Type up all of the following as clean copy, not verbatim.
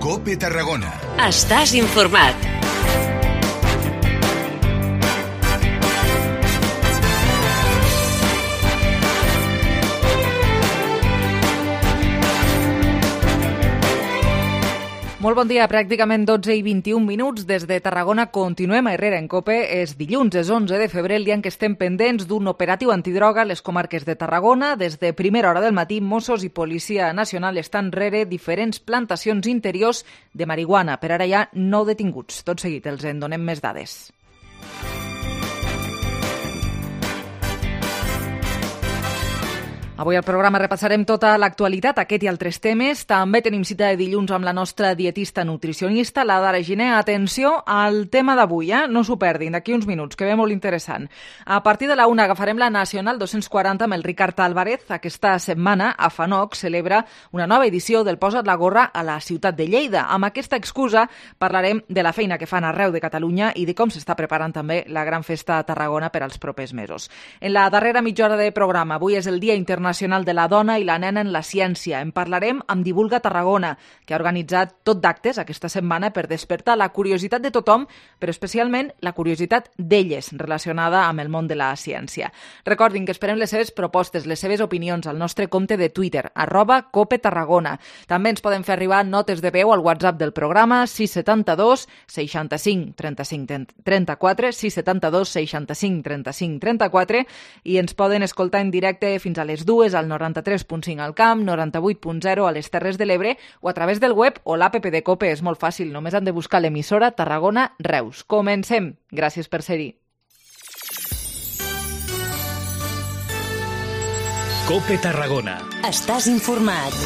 COPE Tarragona. Estàs informat. Molt bon dia, pràcticament 12 i 21 minuts. Des de Tarragona continuem a Herrera en COPE. És dilluns, és 11 de febrer, el dia en què estem pendents d'un operatiu antidroga a les comarques de Tarragona. Des de primera hora del matí, Mossos i Policia Nacional estan rere diferents plantacions interiors de marihuana. Per ara hi ha 9 detinguts. Tot seguit els en donem més dades. Avui al programa repassarem tota l'actualitat, aquest i altres temes. També tenim cita de dilluns amb la nostra dietista nutricionista, la Dara Giner. Atenció al tema d'avui, no s'ho perdin, d'aquí uns minuts, que ve molt interessant. A partir de la 1 agafarem la Nacional 240 amb el Ricard Álvarez. Aquesta setmana, a FANOC celebra una nova edició del Posa't la gorra a la ciutat de Lleida. Amb aquesta excusa parlarem de la feina que fan arreu de Catalunya i de com s'està preparant també la gran festa a Tarragona per als propers mesos. En la darrera mitja hora de programa, avui és el Dia Internacional de la Dona i la Nena en la Ciència. En parlarem amb Divulga Tarragona, que ha organitzat tot d'actes aquesta setmana per despertar la curiositat de tothom, però especialment la curiositat d'elles relacionada amb el món de la ciència. Recordin que esperem les seves propostes, les seves opinions al nostre compte de Twitter, @CopeTarragona. També ens poden fer arribar notes de veu al WhatsApp del programa 672 65 35 34, 672 65 35 34, i ens poden escoltar en directe fins a les 2 al 93.5 al Camp, 98.0 a les Terres de l'Ebre o a través del web o l'APP de COPE. És molt fàcil, només han de buscar l'emissora Tarragona Reus. Comencem. Gràcies per ser-hi. COPE Tarragona. Estàs informat.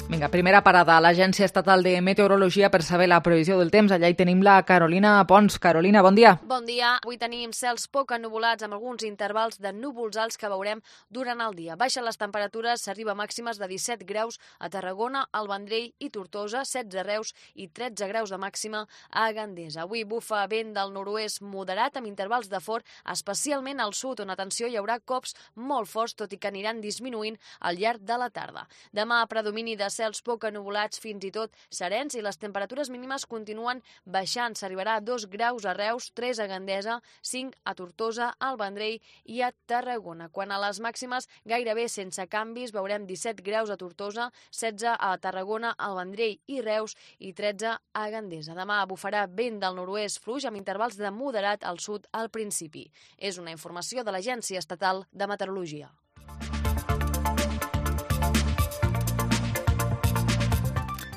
Vinga, primera parada a l'Agència Estatal de Meteorologia per saber la previsió del temps. Allà hi tenim la Carolina Pons. Carolina, bon dia. Bon dia. Avui tenim cels poc ennuvolats amb alguns intervals de núvols alts que veurem durant el dia. Baixen les temperatures, s'arriba a màximes de 17 graus a Tarragona, al Vendrell i Tortosa, 16 a Reus i 13 graus de màxima a Gandesa. Avui bufa vent del nord-oest moderat amb intervals de fort, especialment al sud, on, atenció, hi haurà cops molt forts, tot i que aniran disminuint al llarg de la tarda. Demà, predomini de cels poc ennuvolats, fins i tot serens, i les temperatures mínimes continuen baixant. S'arribarà a 2 graus a Reus, 3 a Gandesa, 5 a Tortosa, al Vendrell i a Tarragona. Quan a les màximes, gairebé sense canvis, veurem 17 graus a Tortosa, 16 a Tarragona, al Vendrell i Reus i 13 a Gandesa. Demà bufarà vent del nord-oest fluix amb intervals de moderat al sud al principi. És una informació de l'Agència Estatal de Meteorologia.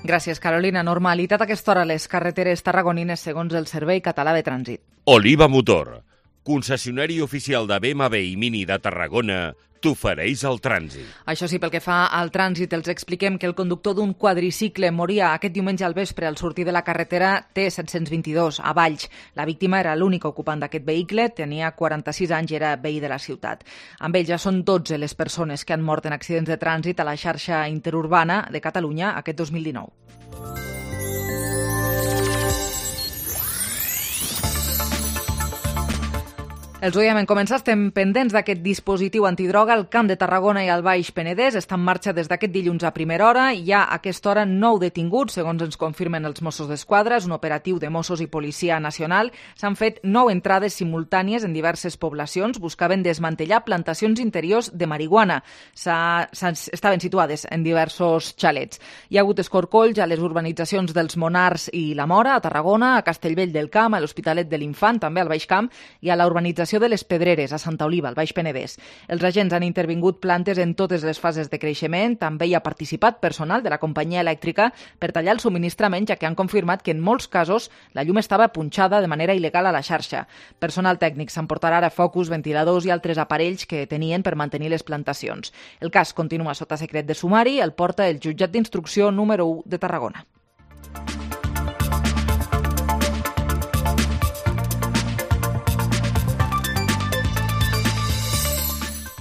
Gràcies, Carolina. Normalitat a aquesta hora a les carreteres tarragonines segons el Servei Català de Trànsit. Oliva Motor, concessionari oficial de BMW i Mini de Tarragona, t'ofereix el trànsit. Això sí, pel que fa al trànsit, els expliquem que el conductor d'un quadricicle moria aquest diumenge al vespre al sortir de la carretera T722 a Valls. La víctima era l'únic ocupant d'aquest vehicle, tenia 46 anys i era veí de la ciutat. Amb ell ja són 12 les persones que han mort en accidents de trànsit a la xarxa interurbana de Catalunya aquest 2019. Els ho dèiem en començar, estem pendents d'aquest dispositiu antidroga. El Camp de Tarragona i el Baix Penedès està en marxa des d'aquest dilluns a primera hora. Hi ha a aquesta hora 9 detinguts, segons ens confirmen els Mossos d'Esquadra. És un operatiu de Mossos i Policia Nacional. S'han fet 9 entrades simultànies en diverses poblacions. Buscaven desmantellar plantacions interiors de marihuana. Estaven situades en diversos xalets. Hi ha hagut escorcolls a les urbanitzacions dels Monars i la Mora, a Tarragona, a Castellvell del Camp, a l'Hospitalet de l'Infant, també al Baix Camp, i a la urbanització de les Pedreres, a Santa Oliva, al Baix Penedès. Els agents han intervingut plantes en totes les fases de creixement. També hi ha participat personal de la companyia elèctrica per tallar el subministrament, ja que han confirmat que en molts casos la llum estava punxada de manera il·legal a la xarxa. Personal tècnic s'emportarà ara focus, ventiladors i altres aparells que tenien per mantenir les plantacions. El cas continua sota secret de sumari, el porta el jutjat d'instrucció número 1 de Tarragona.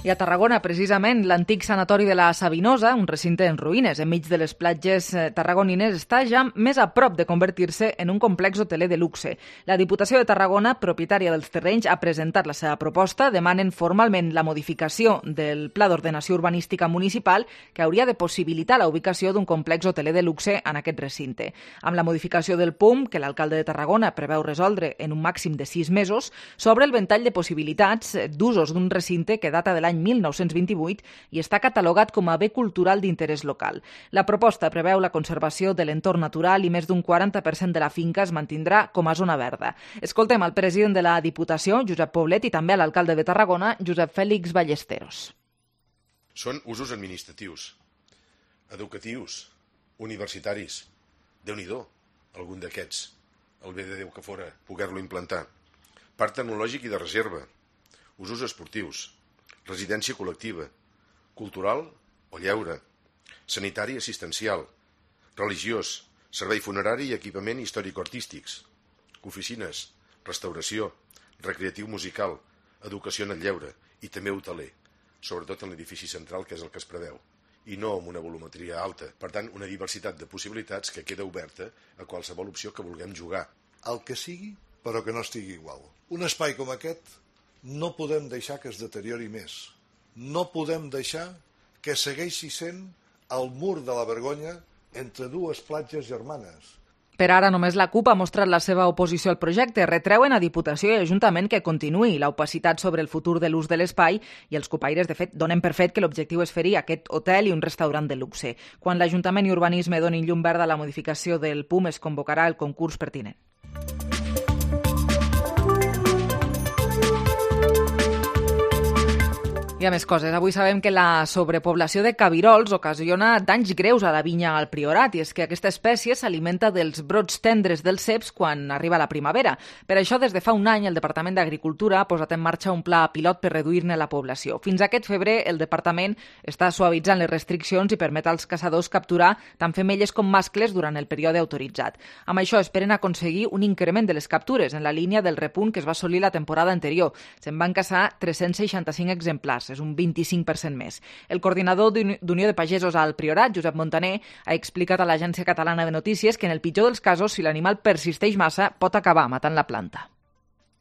I a Tarragona, precisament, l'antic sanatori de la Sabinosa, un recinte en ruïnes enmig de les platges tarragonines, està ja més a prop de convertir-se en un complex hoteler de luxe. La Diputació de Tarragona, propietària dels terrenys, ha presentat la seva proposta. Demanen formalment la modificació del Pla d'Ordenació Urbanística Municipal, que hauria de possibilitar la ubicació d'un complex hoteler de luxe en aquest recinte. Amb la modificació del PUM, que l'alcalde de Tarragona preveu resoldre en un màxim de 6 mesos, s'obre el ventall de possibilitats d'usos d'un recinte que data de l'any 1928 i està catalogat com a bé cultural d'interès local. La proposta preveu la conservació de l'entorn natural i més d'un 40% de la finca es mantindrà com a zona verda. Escoltem al president de la Diputació, Josep Poblet, i també a l'alcalde de Tarragona, Josep Fèlix Ballesteros. Són usos administratius, educatius, universitaris. Déu-n'hi-do, algun d'aquests. El bé de Déu que fora poder-lo implantar. Parc tecnològic i de reserva. Usos esportius. Residència col·lectiva, cultural o lleure, sanitari assistencial, religiós, servei funerari i equipament històrico-artístics, oficines, restauració, recreatiu musical, educació en el lleure i també hoteler, sobretot en l'edifici central, que és el que es preveu, i no amb una volumetria alta. Per tant, una diversitat de possibilitats que queda oberta a qualsevol opció que vulguem jugar. El que sigui, però que no estigui igual. Un espai com aquest no podem deixar que es deteriori més. No podem deixar que segueixi sent el mur de la vergonya entre dues platges germanes. Per ara, només la CUP ha mostrat la seva oposició al projecte. Retreuen a Diputació i Ajuntament que continuï l'opacitat sobre el futur de l'ús de l'espai i els cupaires, de fet, donen per fet que l'objectiu és fer-hi aquest hotel i un restaurant de luxe. Quan l'Ajuntament i Urbanisme donin llum verda a la modificació del PUM, es convocarà el concurs pertinent. Hi ha més coses. Avui sabem que la sobrepoblació de cabirols ocasiona danys greus a la vinya al Priorat, i és que aquesta espècie s'alimenta dels brots tendres dels ceps quan arriba la primavera. Per això, des de fa un any, el Departament d'Agricultura ha posat en marxa un pla pilot per reduir-ne la població. Fins aquest febrer, el Departament està suavitzant les restriccions i permet als caçadors capturar tant femelles com mascles durant el període autoritzat. Amb això esperen aconseguir un increment de les captures en la línia del repunt que es va assolir la temporada anterior. Se'n van caçar 365 exemplars. És un 25% més. El coordinador d'Unió de Pagesos al Priorat, Josep Montaner, ha explicat a l'Agència Catalana de Notícies que en el pitjor dels casos, si l'animal persisteix massa, pot acabar matant la planta.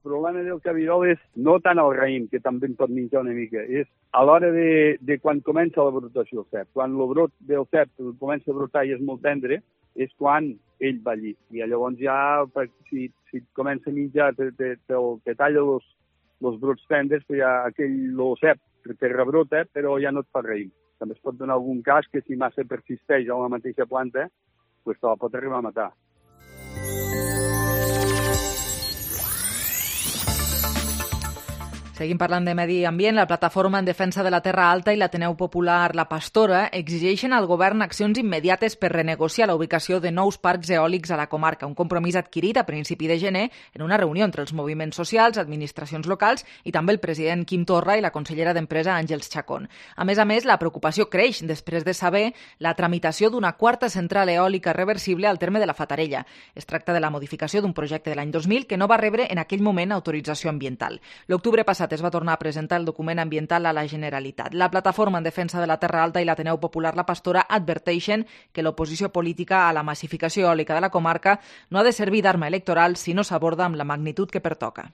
El problema del cabirol és no tant el raïm, que també en pot menjar una mica, és a l'hora de quan comença la brotació del cep. Quan el brot del cep comença a brotar i és molt tendre, és quan ell va allí. I llavors ja, si comença a menjar, te talla els brots tendres, ja aquell cep que rebrota, però ja no et fa raïm. També es pot donar algun cas que si massa persisteix a la mateixa planta, pues te la pot arribar a matar. Seguim parlant de medi ambient. La Plataforma en Defensa de la Terra Alta i l'Ateneu Popular La Pastora exigeixen al govern accions immediates per renegociar la ubicació de nous parcs eòlics a la comarca, un compromís adquirit a principi de gener en una reunió entre els moviments socials, administracions locals i també el president Quim Torra i la consellera d'Empresa Àngels Chacón. A més, la preocupació creix després de saber la tramitació d'una quarta central eòlica reversible al terme de la Fatarella. Es tracta de la modificació d'un projecte de l'any 2000 que no va rebre en aquell moment autorització ambiental. L'octubre passat es va tornar a presentar el document ambiental a la Generalitat. La Plataforma en Defensa de la Terra Alta i l'Ateneu Popular La Pastora adverteixen que l'oposició política a la massificació eòlica de la comarca no ha de servir d'arma electoral si no s'aborda amb la magnitud que pertoca.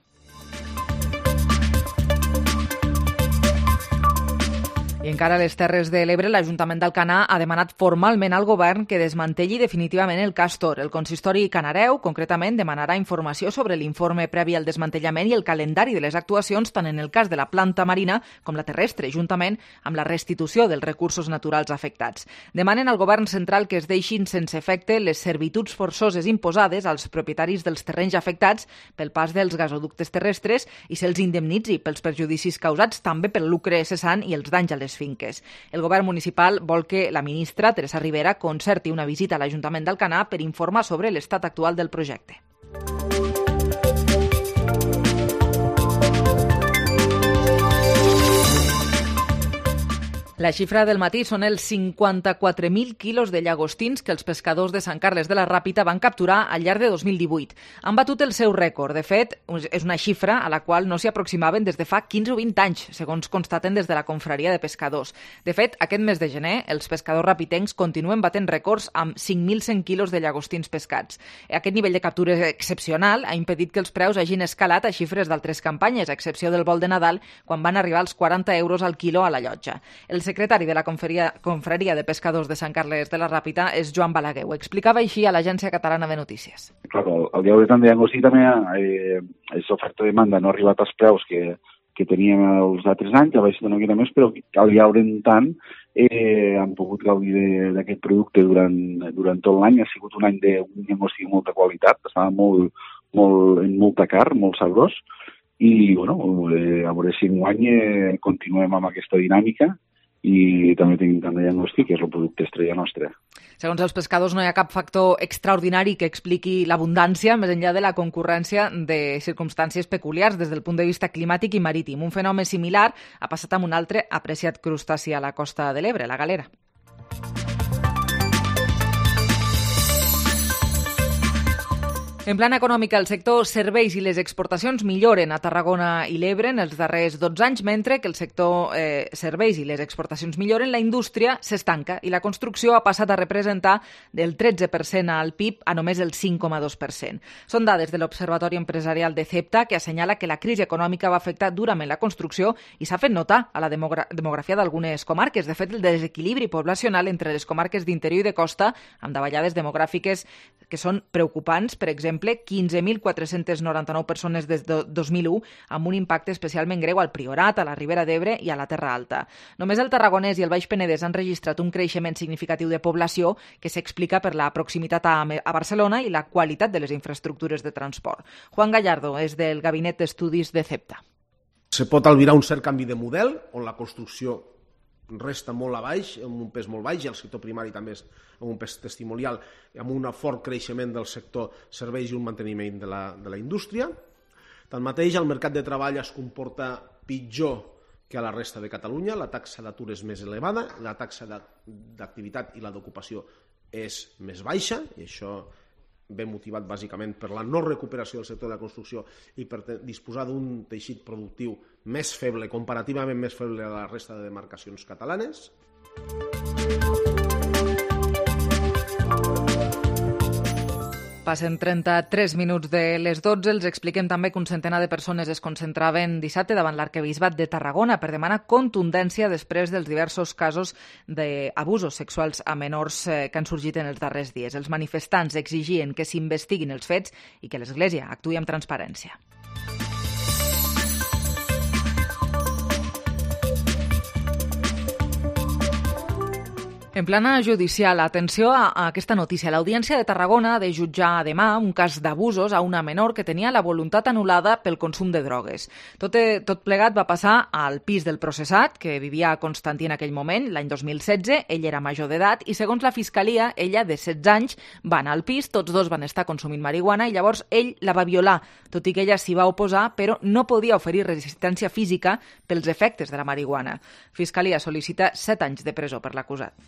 I encara a les Terres de l'Ebre, l'Ajuntament d'Alcanar ha demanat formalment al govern que desmantelli definitivament el Castor. El consistori canareu, concretament, demanarà informació sobre l'informe previ al desmantellament i el calendari de les actuacions tant en el cas de la planta marina com la terrestre, juntament amb la restitució dels recursos naturals afectats. Demanen al govern central que es deixin sense efecte les servituds forçoses imposades als propietaris dels terrenys afectats pel pas dels gasoductes terrestres i se'ls indemnitzi pels perjudicis causats també pel lucre cessant i els danys a les finques. El govern municipal vol que la ministra, Teresa Rivera, concerti una visita a l'Ajuntament d'Alcanar per informar sobre l'estat actual del projecte. La xifra del matí són els 54.000 quilos de llagostins que els pescadors de Sant Carles de la Ràpita van capturar al llarg de 2018. Han batut el seu rècord. De fet, és una xifra a la qual no s'hi aproximaven des de fa 15 o 20 anys, segons constaten des de la confraria de pescadors. De fet, aquest mes de gener, els pescadors rapitencs continuen batent rècords amb 5.100 quilos de llagostins pescats. Aquest nivell de captura excepcional ha impedit que els preus hagin escalat a xifres d'altres campanyes, a excepció del vol de Nadal, quan van arribar als 40 euros al quilo a la llotja. El secretari de la confraria de pescadors de Sant Carles de la Ràpita és Joan Balaguer. Ho explicava així a l'Agència Catalana de Notícies. Claro, el llaure tant de llagostí també és oferta-demanda, no ha arribat als preus que teníem els altres anys, a baix d'una mica més, però al llaure en tant han pogut gaudir d'aquest producte durant tot l'any. Ha sigut un any d'un llagostí de molta qualitat, estava en molta carn, molt sabrós, i bueno, a veure si enguany continuem amb aquesta dinàmica i també tenim tant de llagostí, que és el producte estrella nostre. Segons els pescadors, no hi ha cap factor extraordinari que expliqui l'abundància, més enllà de la concurrència de circumstàncies peculiars des del punt de vista climàtic i marítim. Un fenomen similar ha passat amb un altre apreciat crustaci a la costa de l'Ebre, la galera. En plana econòmica, el sector serveis i les exportacions milloren a Tarragona i l'Ebre en els darrers 12 anys, mentre que el sector serveis i les exportacions milloren, la indústria s'estanca i la construcció ha passat a representar del 13% al PIB a només el 5,2%. Són dades de l'Observatori Empresarial de CEPTA que assenyala que la crisi econòmica va afectar durament la construcció i s'ha fet notar a la demografia d'algunes comarques. De fet, el desequilibri poblacional entre les comarques d'interior i de costa, amb davallades demogràfiques que són preocupants, per exemple, 15.499 persones des de 2001, amb un impacte especialment greu al Priorat, a la Ribera d'Ebre i a la Terra Alta. Només el Tarragonès i el Baix Penedès han registrat un creixement significatiu de població que s'explica per la proximitat a Barcelona i la qualitat de les infraestructures de transport. Juan Gallardo és del Gabinet d'Estudis de CEPTA. Se pot albirar un cert canvi de model, on la construcció resta molt a baix, amb un pes molt baix, i el sector primari també és amb un pes testimonial, amb un fort creixement del sector serveis i un manteniment de la indústria. Tanmateix, el mercat de treball es comporta pitjor que a la resta de Catalunya, la taxa d'atur és més elevada, la taxa d'activitat i la d'ocupació és més baixa, i això ve motivat bàsicament per la no recuperació del sector de la construcció i per disposar d'un teixit productiu més feble, comparativament més feble a la resta de demarcacions catalanes. Passen 33 minuts de les 12. Els expliquem també que un centenar de persones es concentraven dissabte davant l'Arquebisbat de Tarragona per demanar contundència després dels diversos casos d'abusos sexuals a menors que han sorgit en els darrers dies. Els manifestants exigien que s'investiguin els fets i que l'Església actuï amb transparència. En plana judicial, atenció a aquesta notícia. L'Audiència de Tarragona ha de jutjar demà un cas d'abusos a una menor que tenia la voluntat anul·lada pel consum de drogues. Tot plegat va passar al pis del processat, que vivia a Constantí en aquell moment, l'any 2016. Ell era major d'edat i, segons la Fiscalia, ella, de 16 anys, va anar al pis, tots dos van estar consumint marihuana i llavors ell la va violar, tot i que ella s'hi va oposar, però no podia oferir resistència física pels efectes de la marihuana. Fiscalia sol·licita 7 anys de presó per l'acusat.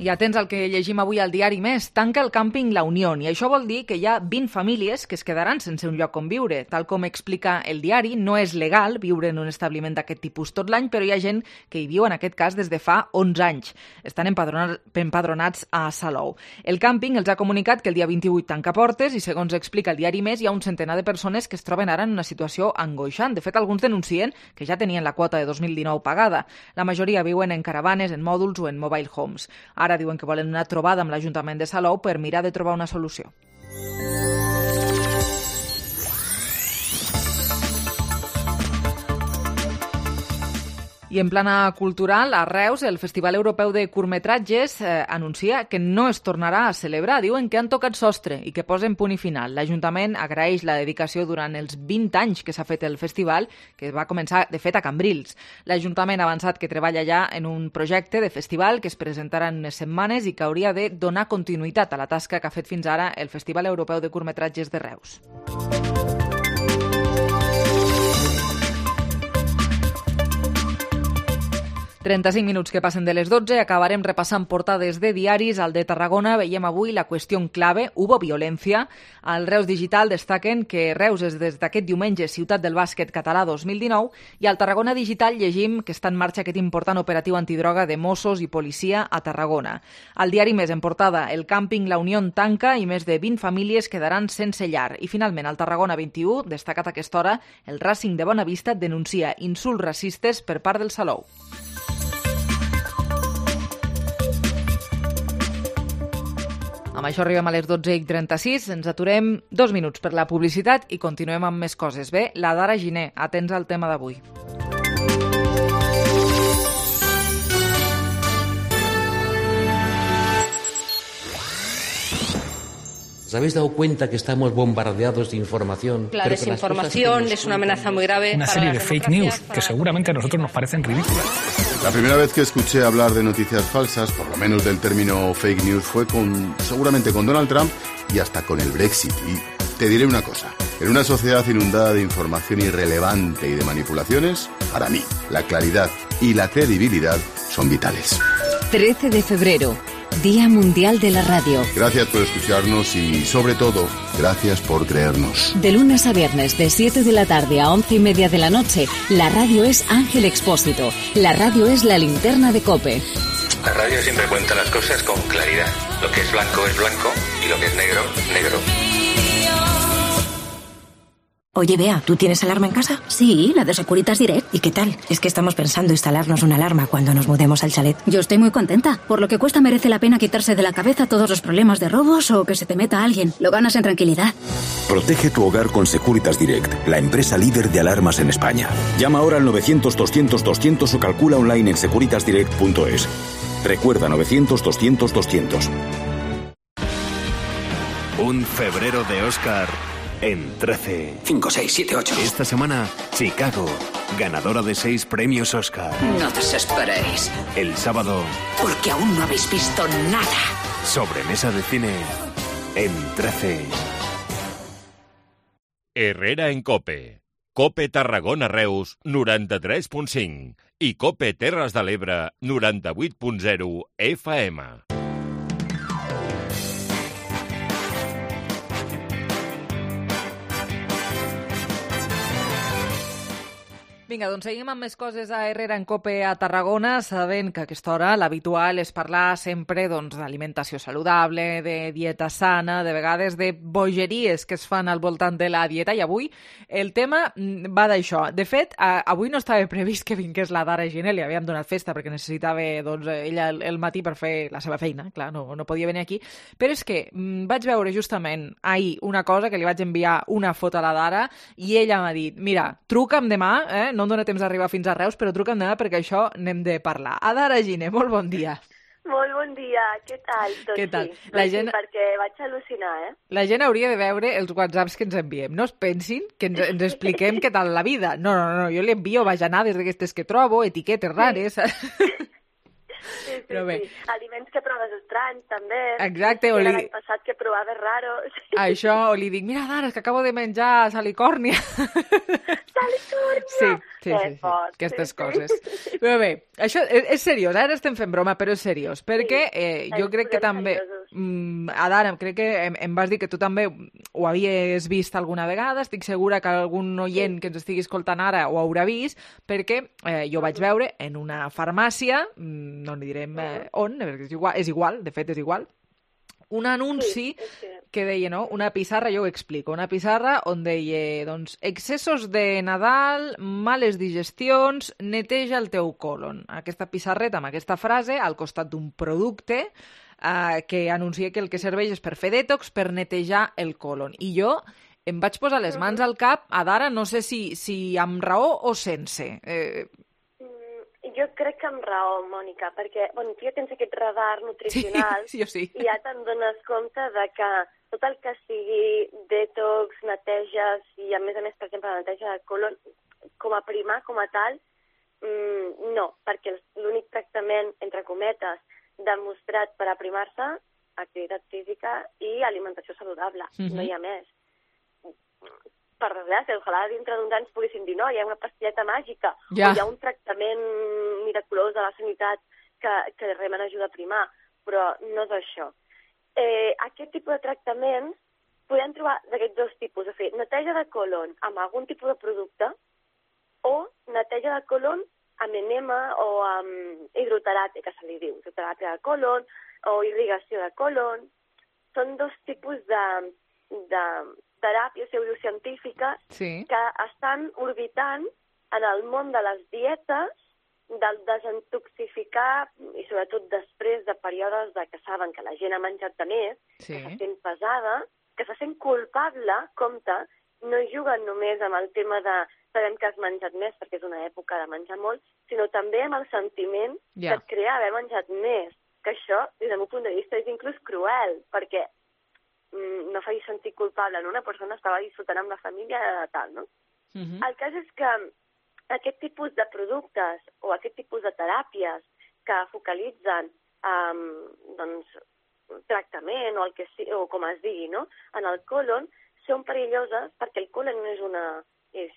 I atents al que llegim avui al diari Més. Tanca el càmping La Unió i això vol dir que hi ha 20 famílies que es quedaran sense un lloc on viure. Tal com explica el diari, no és legal viure en un establiment d'aquest tipus tot l'any, però hi ha gent que hi viu en aquest cas des de fa 11 anys. Estan empadronats a Salou. El càmping els ha comunicat que el dia 28 tanca portes i, segons explica el diari Més, hi ha un centenar de persones que es troben ara en una situació angoixant. De fet, alguns denuncien que ja tenien la quota de 2019 pagada. La majoria viuen en caravanes, en mòduls o en mobile homes. Ara diuen que volen una trobada amb l'Ajuntament de Salou per mirar de trobar una solució. I en plana cultural, a Reus, el Festival Europeu de Curtmetratges anuncia que no es tornarà a celebrar. Diuen que han tocat sostre i que posen punt i final. L'Ajuntament agraeix la dedicació durant els 20 anys que s'ha fet el festival, que va començar, de fet, a Cambrils. L'Ajuntament ha avançat que treballa ja en un projecte de festival que es presentarà en unes setmanes i que hauria de donar continuïtat a la tasca que ha fet fins ara el Festival Europeu de Curtmetratges de Reus. 35 minuts que passen de les 12, acabarem repassant portades de diaris. Al de Tarragona veiem avui la qüestió clave, hubo violència. Al Reus Digital destaquen que Reus és des d'aquest diumenge ciutat del bàsquet català 2019 i al Tarragona Digital llegim que està en marxa aquest important operatiu antidroga de Mossos i policia a Tarragona. Al diari Més en portada, el càmping La Unió tanca i més de 20 famílies quedaran sense llar. I finalment al Tarragona 21, destacat a aquesta hora, el Racing de Bonavista denuncia insults racistes per part del Salou. Amb això arribem a les 12:36, ens aturem 2 minuts per la publicitat i continuem amb més coses. Bé, la Dara Giner, atents al tema d'avui. ¿Os habéis dado cuenta que estamos bombardeados de información? La desinformación es una amenaza muy grave. Una serie de fake news que seguramente a nosotros nos parecen ridículas. La primera vez que escuché hablar de noticias falsas, por lo menos del término fake news, fue seguramente con Donald Trump y hasta con el Brexit. Y te diré una cosa, en una sociedad inundada de información irrelevante y de manipulaciones, para mí, la claridad y la credibilidad son vitales. 13 de febrero, Día Mundial de la Radio. Gracias por escucharnos y, sobre todo, gracias por creernos. De lunes a viernes, de 7 de la tarde a 11:30 de la noche, la radio es Ángel Expósito. La radio es la linterna de COPE. La radio siempre cuenta las cosas con claridad. Lo que es blanco y lo que es negro, negro. Oye, Bea, ¿tú tienes alarma en casa? Sí, la de Securitas Direct. ¿Y qué tal? Es que estamos pensando instalarnos una alarma cuando nos mudemos al chalet. Yo estoy muy contenta. Por lo que cuesta merece la pena quitarse de la cabeza todos los problemas de robos o que se te meta alguien. Lo ganas en tranquilidad. Protege tu hogar con Securitas Direct, la empresa líder de alarmas en España. Llama ahora al 900-200-200 o calcula online en securitasdirect.es. Recuerda 900-200-200. Un febrero de Oscar en 13. 5, 6, 7, 8. Esta semana, Chicago, ganadora de 6 premios Oscar. No desesperéis. El sábado, porque aún no habéis visto nada. Sobremesa de cine en 13. Herrera en COPE. COPE Tarragona Reus 93.5 i COPE Terres de l'Ebre 98.0 FM. Vinga, doncs seguim amb més coses a Herrera en COPE a Tarragona, sabent que a aquesta hora l'habitual és parlar sempre d'alimentació saludable, de dieta sana, de vegades de bogeries que es fan al voltant de la dieta, i avui el tema va d'això. De fet, avui no estava previst que vingués la Dara Giner, li havíem donat festa perquè necessitava ella el matí per fer la seva feina, clar, no podia venir aquí, però és que vaig veure justament ahir una cosa que li vaig enviar una foto a la Dara i ella m'ha dit, mira, truca'm demà, no em dóna temps d'arribar fins a Reus, però truca'm demà perquè això n'hem de parlar. Dara Giner, molt bon dia. Molt bon dia, què tal? Doncs què tal? Sí, sí, perquè vaig al·lucinar, La gent hauria de veure els whatsapps que ens enviem. No es pensin que ens expliquem què tal la vida. No, jo li envio bajanades d'aquestes que trobo, etiquetes rares. Sí, però bé. Sí. Aliments que proves estranys, també. Exacte. L'any passat que provaves raros. Això, o li dic, mira, Dara, és que acabo de menjar salicòrnia. Salicòrnia! Sí, aquestes coses. Però bé, això és seriós, ara estem fent broma, però és seriós, perquè jo crec que també, Dara, crec que em vas dir que tu també ho havies vist alguna vegada, estic segura que algun oient que ens estigui escoltant ara ho haurà vist, perquè jo vaig veure en una farmàcia, no li direm on, és igual, de fet és igual, un anunci que deia, no? Una pissarra, jo ho explico, una pissarra on deia, doncs, excessos de Nadal, males digestions, neteja el teu colon. Aquesta pissarreta amb aquesta frase al costat d'un producte que anuncia que el que serveix és per fer detox, per netejar el colon. I jo em vaig posar les mans al cap, Dara, no sé si amb raó o sense. Jo crec que amb raó, Mònica, perquè tu ja tens aquest radar nutricional sí, sí. I ja te'n dones compte de que tot el que sigui detox, neteges i a més, per exemple, la neteja de colon, com a primar, com a tal, no, perquè l'únic tractament, entre cometes, demostrat per aprimar-se, activitat física i alimentació saludable, no hi ha més. Per desgràcia, ojalà dintre d'uns anys poguessin dir no, hi ha una pastilleta màgica o hi ha un tractament miraculós de la sanitat que realment ajuda a primar, però no és això. Aquest tipus de tractaments podem trobar d'aquests dos tipus, de fer neteja de colon amb algun tipus de producte o neteja de colon amb enema o amb hidroteràpia, que se li diu, hidroteràpia de colon o irrigació de colon. Són dos tipus de teràpies pseudocientífiques que estan orbitant en el món de les dietes, del desintoxificar, i sobretot després de períodes que saben que la gent ha menjat de més, que se sent pesada, que se sent culpable, compte, no juguen només amb el tema de sabem que has menjat més perquè és una època de menjar molt, sinó també amb el sentiment que et crea haver menjat més, que això, des del meu punt de vista, és inclús cruel, perquè no faci sentir culpable, no? Una persona estava disfrutant amb la família de tal, no? El cas és que aquest tipus de productes o aquest tipus de teràpies que focalitzen tractament o, o com es digui, no? En el colon, són perilloses perquè el colon és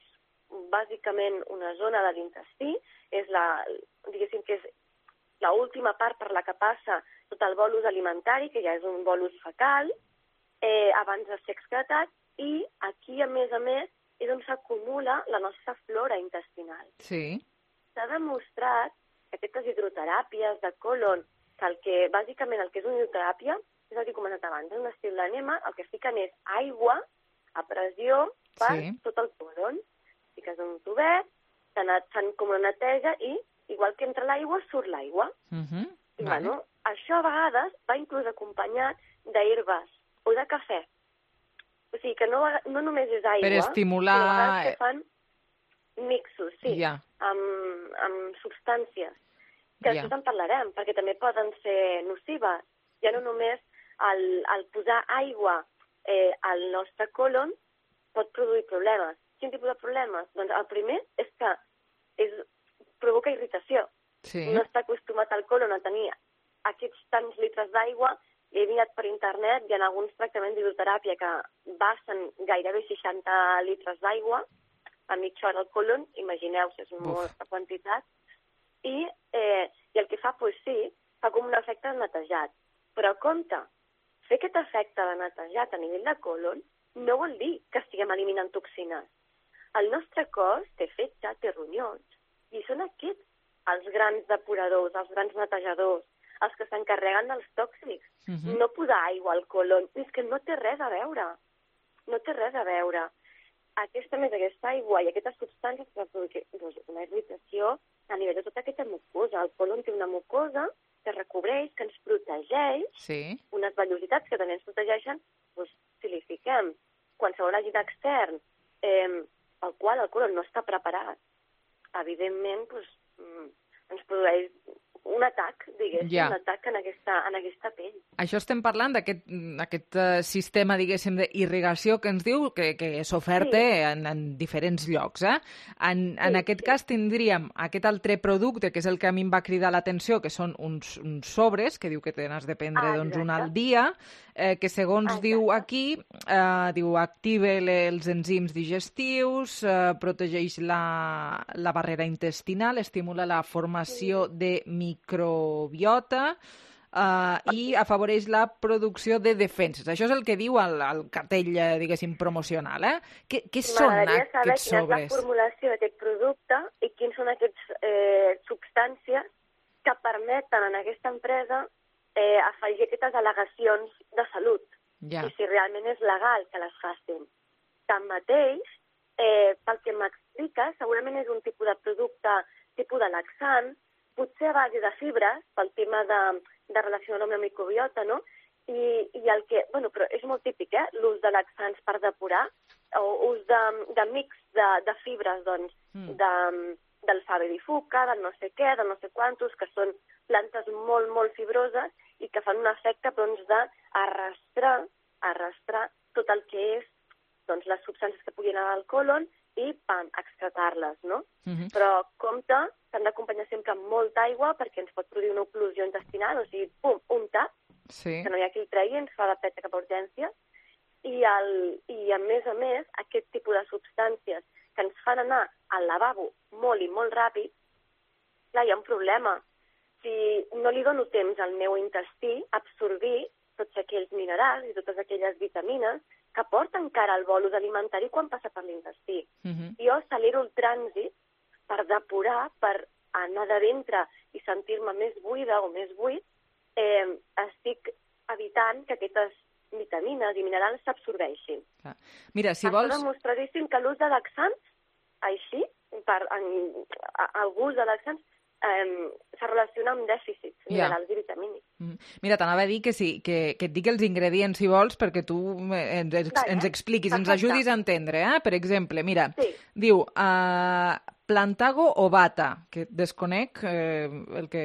bàsicament una zona de l'intestí, diguéssim que és l'última part per la que passa tot el bolus alimentari, que ja és un bolus fecal, abans de ser excretat, i aquí, a més, és on s'acumula la nostra flora intestinal. Sí. S'ha demostrat que aquestes hidroteràpies de colon, que bàsicament el que és una hidroteràpia, és el que he comentat abans, és un estil d'enema, el que fiquen és aigua a pressió per tot el colon. Fiques un tubet, fan com una neteja i, igual que entra l'aigua, surt l'aigua. I, això a vegades va inclús acompanyat d'herbes o de cafè. O sigui que no només és aigua, per estimular... sinó a vegades que fan mixos, amb substàncies. Que després en parlarem, perquè també poden ser nocives. Ja no només el posar aigua al nostre colon pot produir problemes. Quin tipus de problemes? Doncs el primer és que provoca irritació. No està acostumat al colon a tenir aquests tants litres d'aigua. He mirat per internet, hi ha alguns tractaments d'hidroteràpia que basten gairebé 60 litres d'aigua a mitja hora al colon, imagineu-vos, és molta quantitat, i el que fa, fa com un efecte de netejat. Però compte, fer aquest efecte de netejat a nivell de colon no vol dir que estiguem eliminant toxines. El nostre cos té fetge, té ronyons, i són aquests els grans depuradors, els grans netejadors, els que s'encarreguen dels tòxics. No posar aigua al colon, és que no té res a veure. No té res a veure. Aquesta aigua i aquestes substàncies que produeixen una irritació a nivell de tota aquesta mucosa. El colon té una mucosa que recobreix, que ens protegeix, unes vellositats que també ens protegeixen, si li fiquem qualsevol agent extern pel qual el colon no està preparat, evidentment ens produeix un atac, un atac en aquesta pell. Això estem parlant d'aquest sistema, diguéssim, d'irrigació que ens diu que s'oferta en diferents llocs. En aquest cas tindríem aquest altre producte, que és el que a mi em va cridar l'atenció, que són uns sobres, que diu que te n'has de prendre un al dia, que segons diu aquí, activa els enzims digestius, protegeix la barrera intestinal, estimula la formació de microbiota i afavoreix la producció de defenses. Això és el que diu el cartell, diguéssim, promocional. Què són aquests sobres? M'agradaria saber quina és la formulació d'aquest producte i quins són aquestes substàncies que permeten en aquesta empresa afegir aquestes al·legacions de salut. I si realment és legal que les facin. Tanmateix, pel que m'explica, segurament és un tipus de producte, tipus de laxant, potser a base de fibres, pel tema de relacionar amb la microbiota, no? I el que, però és molt típic, l'ús de laxants per depurar, o ús de mix de fibres, doncs, del fave di fuca, del no sé què, del no sé quantos, que són plantes molt, molt fibroses i que fan un efecte d'arrastrar tot el que és les substàncies que puguin anar al colon i, pam, excretar-les, no? Però compte, s'han d'acompanyar sempre amb molta aigua perquè ens pot produir una oclusió intestinal, o sigui, pum, un tap, que no hi ha qui el tregui, ens fa la peta cap a urgències, i a més, aquest tipus de substàncies que ens fan anar al lavabo molt i molt ràpid, clar, hi ha un problema. Si no li dono temps al meu intestí a absorbir tots aquells minerals i totes aquelles vitamines que porta encara el bolus alimentari quan passa per l'intestí. Jo accelero el trànsit per depurar, per anar de ventre i sentir-me més buida o més buit, estic evitant que aquestes vitamines i minerals s'absorbeixin. Mira, si vols... Està demostradíssim que l'ús de laxants, així, el gust de laxants, se relaciona amb dèficits minerals i vitamínics. Mira, t'anava a dir que sí, que et digui els ingredients, si vols, perquè tu ens expliquis, ens ajudis a entendre. Per exemple, mira, diu plantago o bata, que desconec el que...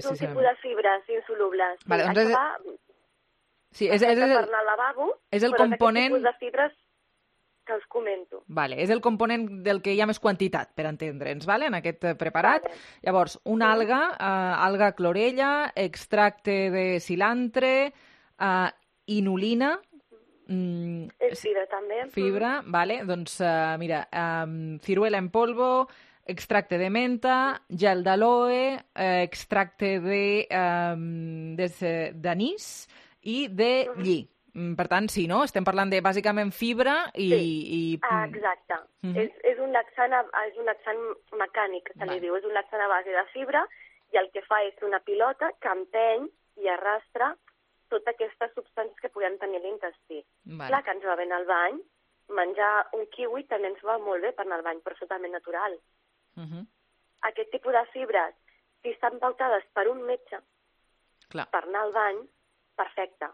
És un tipus de fibres insolubles. Sí, és per anar al lavabo, és el però component... és aquest tipus de fibres que us comento. Vale, és el component del que hi ha més quantitat, per entendre'ns, en aquest preparat. Llavors, una alga clorella, extracte de cilantre, inulina... És fibra, també. Fibra, vale. Doncs, mira, ciruela en polvo, extracte de menta, gel d'aloe, extracte d'anís i de lli. Per tant, sí, no? Estem parlant de, bàsicament, fibra i... Exacte. És un laxant mecànic, se li diu. És un laxant a base de fibra i el que fa és una pilota que empeny i arrastra totes aquestes substàncies que puguem tenir a l'intestí. Clar que ens va bé anar al bany, menjar un kiwi també ens va molt bé per anar al bany, però és totalment natural. Aquest tipus de fibres, si estan pautades per un metge per anar al bany, perfecte.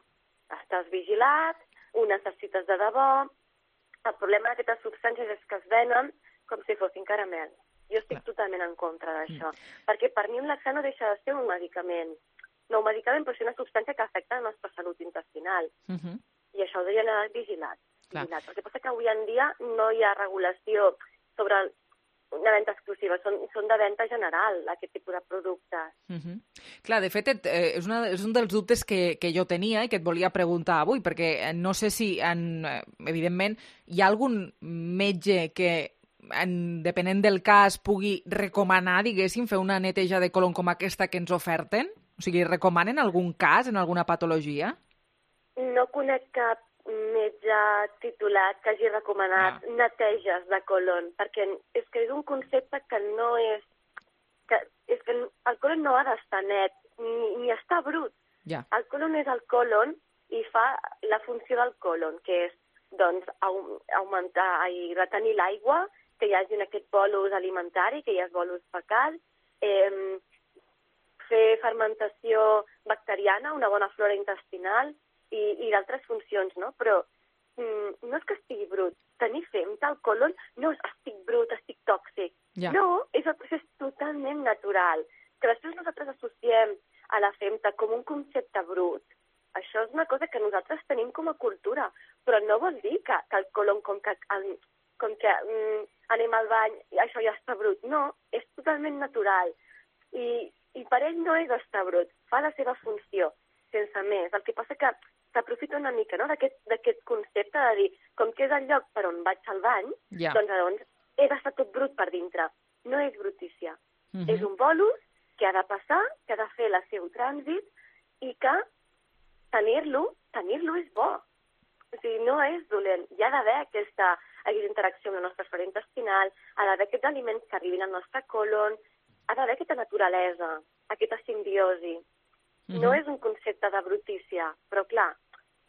Estàs vigilat, ho necessites de debò. El problema d'aquestes substàncies és que es venen com si fossin caramels. Jo estic totalment en contra d'això. Perquè per mi un laxant no deixa de ser un medicament. No un medicament, però és una substància que afecta la nostra salut intestinal. I això ho deurien haver vigilat. El que passa que avui en dia no hi ha regulació sobre una venda exclusiva, són de venda general, aquest tipus de productes. Clar, de fet, és un dels dubtes que jo tenia i que et volia preguntar avui, perquè no sé si, evidentment, hi ha algun metge que, depenent del cas, pugui recomanar, diguéssim, fer una neteja de colon com aquesta que ens oferten? O sigui, recomanen algun cas, en alguna patologia? No conec cap metge titulat que hagi recomanat neteges de colon, perquè és que és un concepte que no és... És que el colon no ha d'estar net, ni està brut. El colon és el colon i fa la funció del colon, que és, doncs, augmentar i retenir l'aigua, que hi hagi aquest bolus alimentari, que hi ha bolus fecal, fer fermentació bacteriana, una bona flora intestinal, i d'altres funcions, no? Però no és que estigui brut. Tenir femta al colon no és estic brut, estic tòxic. No, és el procés totalment natural. Que després nosaltres associem a la femta com un concepte brut. Això és una cosa que nosaltres tenim com a cultura, però no vol dir que el colon, com que anem al bany i això ja està brut. No, és totalment natural. I per ell no és estar brut, fa la seva funció, sense més. El que passa que s'aprofita una mica, no?, d'aquest concepte de dir, com que és el lloc per on vaig al bany, doncs he d'estar tot brut per dintre. No és brutícia. És un bolus que ha de passar, que ha de fer el seu trànsit i que tenir-lo és bo. O sigui, no és dolent. Hi ha d'haver aquesta interacció amb la nostra flora intestinal, ha d'haver aquests aliments que arribin al nostre colon, ha d'haver aquesta naturalesa, aquesta simbiosi. No és un concepte de brutícia, però clar,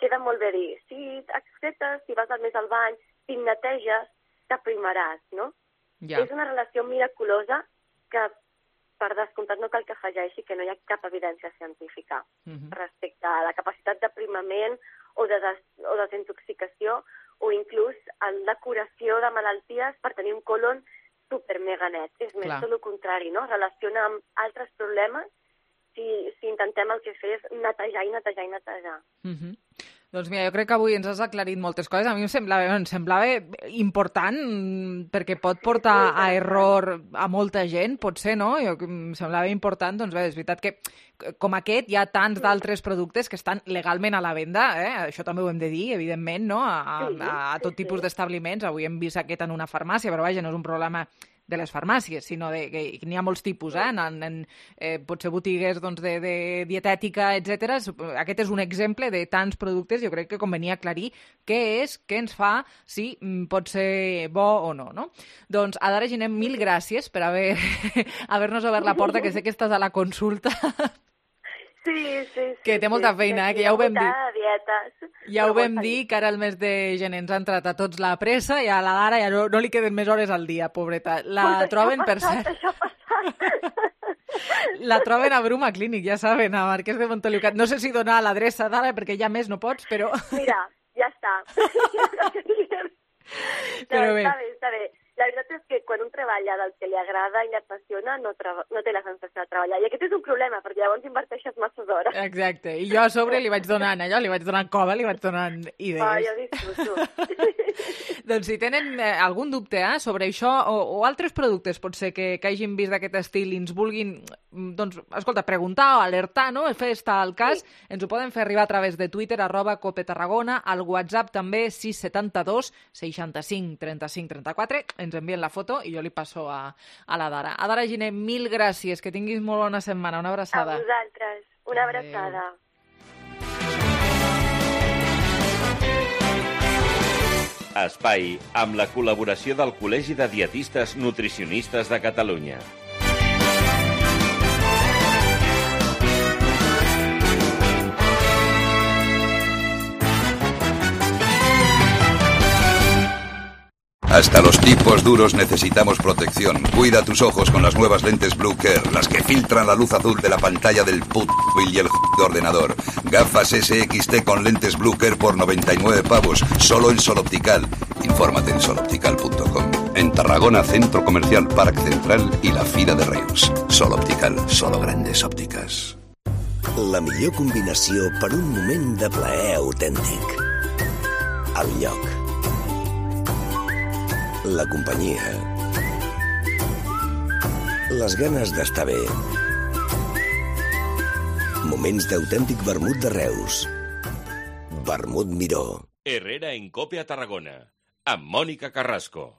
queda molt bé dir, si excretes, si vas més al bany, si neteges, t'aprimaràs, no? És una relació miraculosa que, per descomptat, no cal que afegeixi que no hi ha cap evidència científica respecte a la capacitat d'aprimament o de desintoxicació o inclús la curació de malalties per tenir un colon super mega net. És més, Clar. tot el contrari, no? Relaciona amb altres problemes si intentem el que fer és netejar i netejar i netejar. Doncs mira, jo crec que avui ens has aclarit moltes coses. A mi em semblava important perquè pot portar a error a molta gent, potser, no? Em semblava important, doncs bé, és veritat que com aquest hi ha tants d'altres productes que estan legalment a la venda, això també ho hem de dir, evidentment, no? A tot tipus d'establiments. Avui hem vist aquest en una farmàcia, però vaja, no és un problema de les farmàcies, sinó que n'hi ha molts tipus, potser botigues de dietètica, etc. Aquest és un exemple de tants productes, jo crec que convenia aclarir què és, què ens fa, si pot ser bo o no, no? Doncs, Adara Giner, mil gràcies per haver-nos obert la porta, que sé que estàs a la consulta. Sí. Que té molta feina, que ja ho vam dir. Dietes. Ja ho vam dir, que ara el mes de gener ens ha entrat a tots la pressa i a la Dara ja no li queden més hores al dia, pobreta. La troben, per cert... La troben a Bruma Clínic, ja saben, a Marquès de Montoliucat. No sé si donar l'adreça, Dara, perquè ja més no pots, però... Mira, ja està. Però bé. Està bé. La veritat és que quan un treballa del que li agrada i li apassiona, no té la sensació de treballar. I aquest és un problema, perquè llavors inverteixes masses hores. Exacte. I jo a sobre li vaig donant allò, li vaig donant cova, li vaig donant idees. Jo disfruto. Doncs si tenen algun dubte sobre això o altres productes, potser que hagin vist d'aquest estil i ens vulguin, doncs, escolta, preguntar o alertar, no? Fer estar al cas, ens ho poden fer arribar a través de Twitter, @copetarragona, al WhatsApp també 672 65 35 34, ens envien la foto i jo li passo a la Dara. Adara Giner, mil gràcies, que tinguis molt bona setmana, una abraçada. A vosaltres, una abraçada. Espai amb la col·laboració del Col·legi de Dietistes Nutricionistes de Catalunya. Hasta los tipos duros necesitamos protección. Cuida tus ojos con las nuevas lentes Blue Care, las que filtran la luz azul de la pantalla del móvil y el ordenador. Gafas SXT con lentes Blue Care por 99 pavos, solo en Sol Optical. Infórmate en soloptical.com. En Tarragona, Centro Comercial Parc Central i la Fira de Reus. Sol Optical, solo grandes òptiques. La millor combinació per un moment de plaer autèntic. El lloc. La companyia. Les ganes d'estar bé. Moments d'autèntic vermut de Reus. Vermut Miró. Herrera en Cope a Tarragona, amb Mònica Carrasco.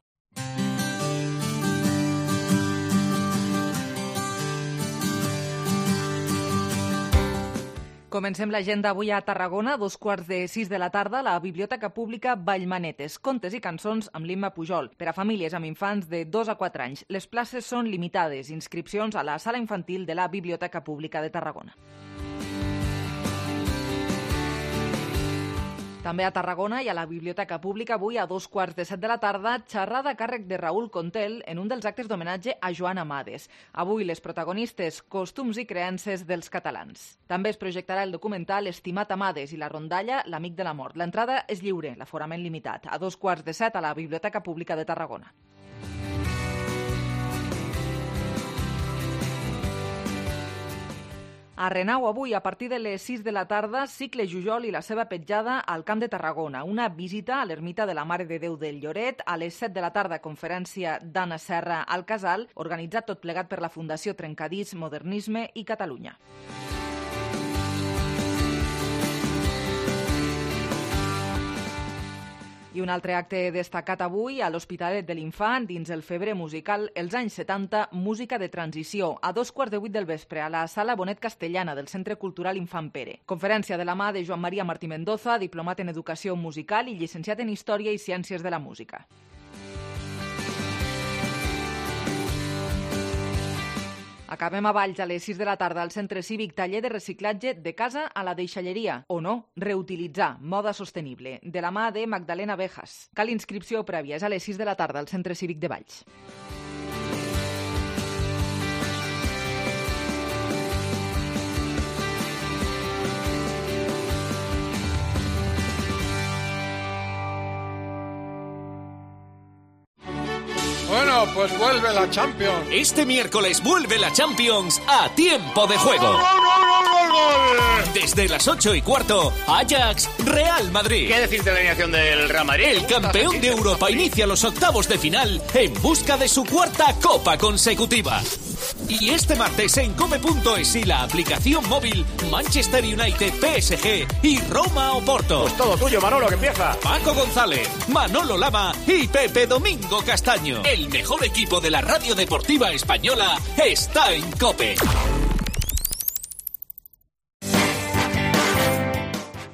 Comencem l'agenda avui a Tarragona, 5:15 de la tarda, la Biblioteca Pública Vallmanetes. Contes i cançons amb l'Imma Pujol. Per a famílies amb infants de 2 a 4 anys. Les places són limitades. Inscripcions a la sala infantil de la Biblioteca Pública de Tarragona. També a Tarragona i a la Biblioteca Pública avui a 2:15 de la tarda, xerrada a càrrec de Raül Contel en un dels actes d'homenatge a Joan Amades. Avui les protagonistes, costums i creences dels catalans. També es projectarà el documental Estimat Amades i la rondalla L'amic de la mort. L'entrada és lliure, l'aforament limitat. A 2:15 a la Biblioteca Pública de Tarragona. A Renau avui, a partir de les 6 de la tarda, Cicle Jujol i la seva petjada al Camp de Tarragona. Una visita a l'ermita de la Mare de Déu del Lloret. A les 7 de la tarda, conferència d'Anna Serra al Casal, organitzat tot plegat per la Fundació Trencadís, Modernisme i Catalunya. I un altre acte destacat avui a l'Hospitalet de l'Infant, dins el Febre musical Els anys 70, música de transició, a 2:15 del vespre, a la Sala Bonet Castellana del Centre Cultural Infant Pere. Conferència de la mà de Joan Maria Martí Mendoza, diplomat en Educació Musical i llicenciat en Història i Ciències de la Música. Acabem a Valls a les 6 de la tarda al Centre Cívic, taller de reciclatge de casa a la deixalleria. O no, reutilitzar, moda sostenible, de la mà de Magdalena Bejas. Cal inscripció prèvia, és a les 6 de la tarda al Centre Cívic de Valls. Bueno, Bueno, pues vuelve la Champions. Este miércoles vuelve la Champions a tiempo de juego. Desde las 8:15, Ajax, Real Madrid. ¿Qué decir de la alineación del Real Madrid? El campeón de Europa inicia los octavos de final en busca de su cuarta copa consecutiva. Y este martes en cope.es y la aplicación móvil, Manchester United, PSG y Roma Oporto. Pues todo tuyo, Manolo, que empieza. Paco González, Manolo Lama y Pepe Domingo Castaño. El mejor equipo de la radio deportiva española está en COPE.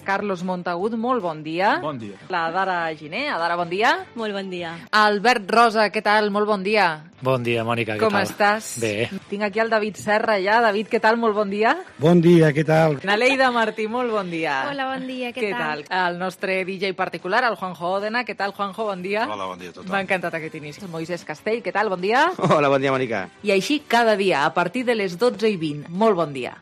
Carlos Montagut, molt bon dia. Bon dia. La Dara Giner. Adara, bon dia. Molt bon dia. Albert Rosa, què tal? Molt bon dia. Bon dia, Mònica, què Com tal? estàs? Bé. Tinc aquí el David Serra ja. David, què tal? Molt bon dia. Bon dia, què tal? Naleida Martí, molt bon dia. Hola, bon dia, què tal? El nostre DJ particular, el Juanjo Òdena. Què tal, Juanjo? Bon dia. Hola, bon dia a tothom. M'ha encantat aquest inici. El Moisés Castell, què tal? Bon dia. Hola, bon dia, Mònica. I així cada dia, a partir de les 12:20. Molt bon dia.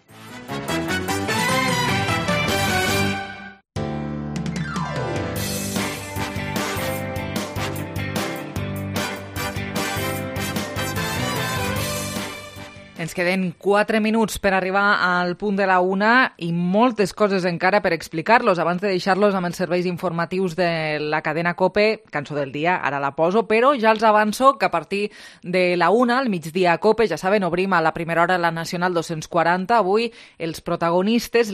Ens queden 4 minuts per arribar al punt de la 1 i moltes coses encara per explicar-los. Abans de deixar-los amb els serveis informatius de la cadena COPE, cançó del dia, ara la poso, però ja els avanço que a partir de la 1, al migdia a COPE, ja saben, obrim a la primera hora la Nacional 240. Avui les protagonistes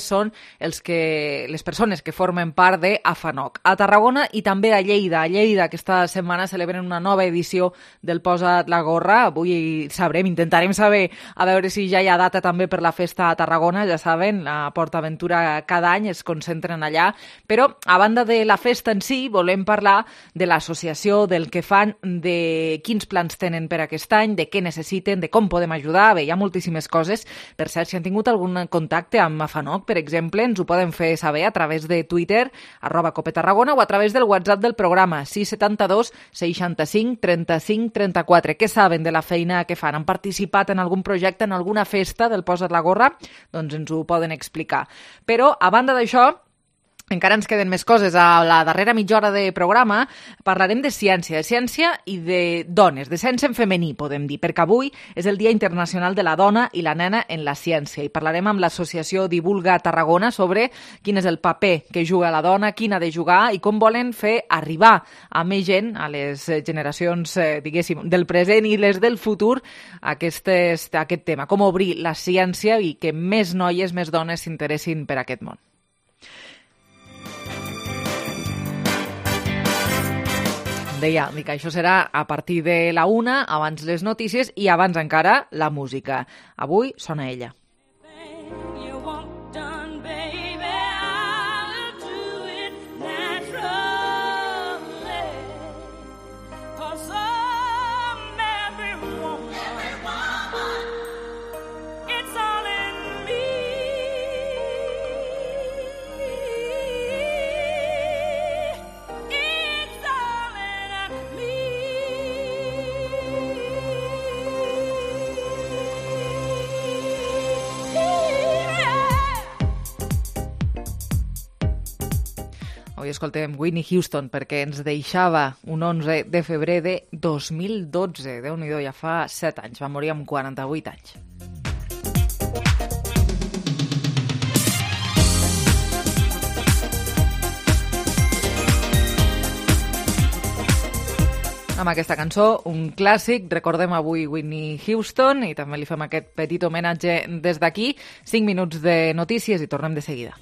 són les persones que formen part de AFANOC. A Tarragona i també a Lleida. A Lleida aquesta setmana celebren una nova edició del Posa't la gorra. Avui intentarem saber a veure si ja hi ha data també per la festa a Tarragona. Ja saben, la PortAventura cada any es concentren allà. Però, a banda de la festa en si, volem parlar de l'associació, del que fan, de quins plans tenen per aquest any, de què necessiten, de com podem ajudar. Bé, hi ha moltíssimes coses. Per cert, si han tingut algun contacte amb AFANOC, per exemple, ens ho poden fer saber a través de Twitter, @COPETarragona, o a través del WhatsApp del programa, 672 65 35 34. Què saben de la feina que fan? Han participat en algun projecte, en alguna festa del Posa't la gorra? Doncs ens ho poden explicar. Però, a banda d'això, encara ens queden més coses. A la darrera mitja hora de programa parlarem de ciència i de dones, de ciència en femení, podem dir, perquè avui és el Dia Internacional de la Dona i la Nena en la Ciència i parlarem amb l'associació Divulga Tarragona sobre quin és el paper que juga la dona, quin ha de jugar i com volen fer arribar a més gent, a les generacions, diguéssim, del present i les del futur, aquest tema, com obrir la ciència i que més noies, més dones s'interessin per aquest món. Deia que això serà a partir de la 1, abans les notícies i abans encara la música. Avui sona ella. Avui escoltem Whitney Houston perquè ens deixava un 11 de febrer de 2012. Déu-n'hi-do, ja fa 7 anys. Va morir amb 48 anys. Amb aquesta cançó, un clàssic, recordem avui Whitney Houston i també li fem aquest petit homenatge des d'aquí. 5 minuts de notícies i tornem de seguida.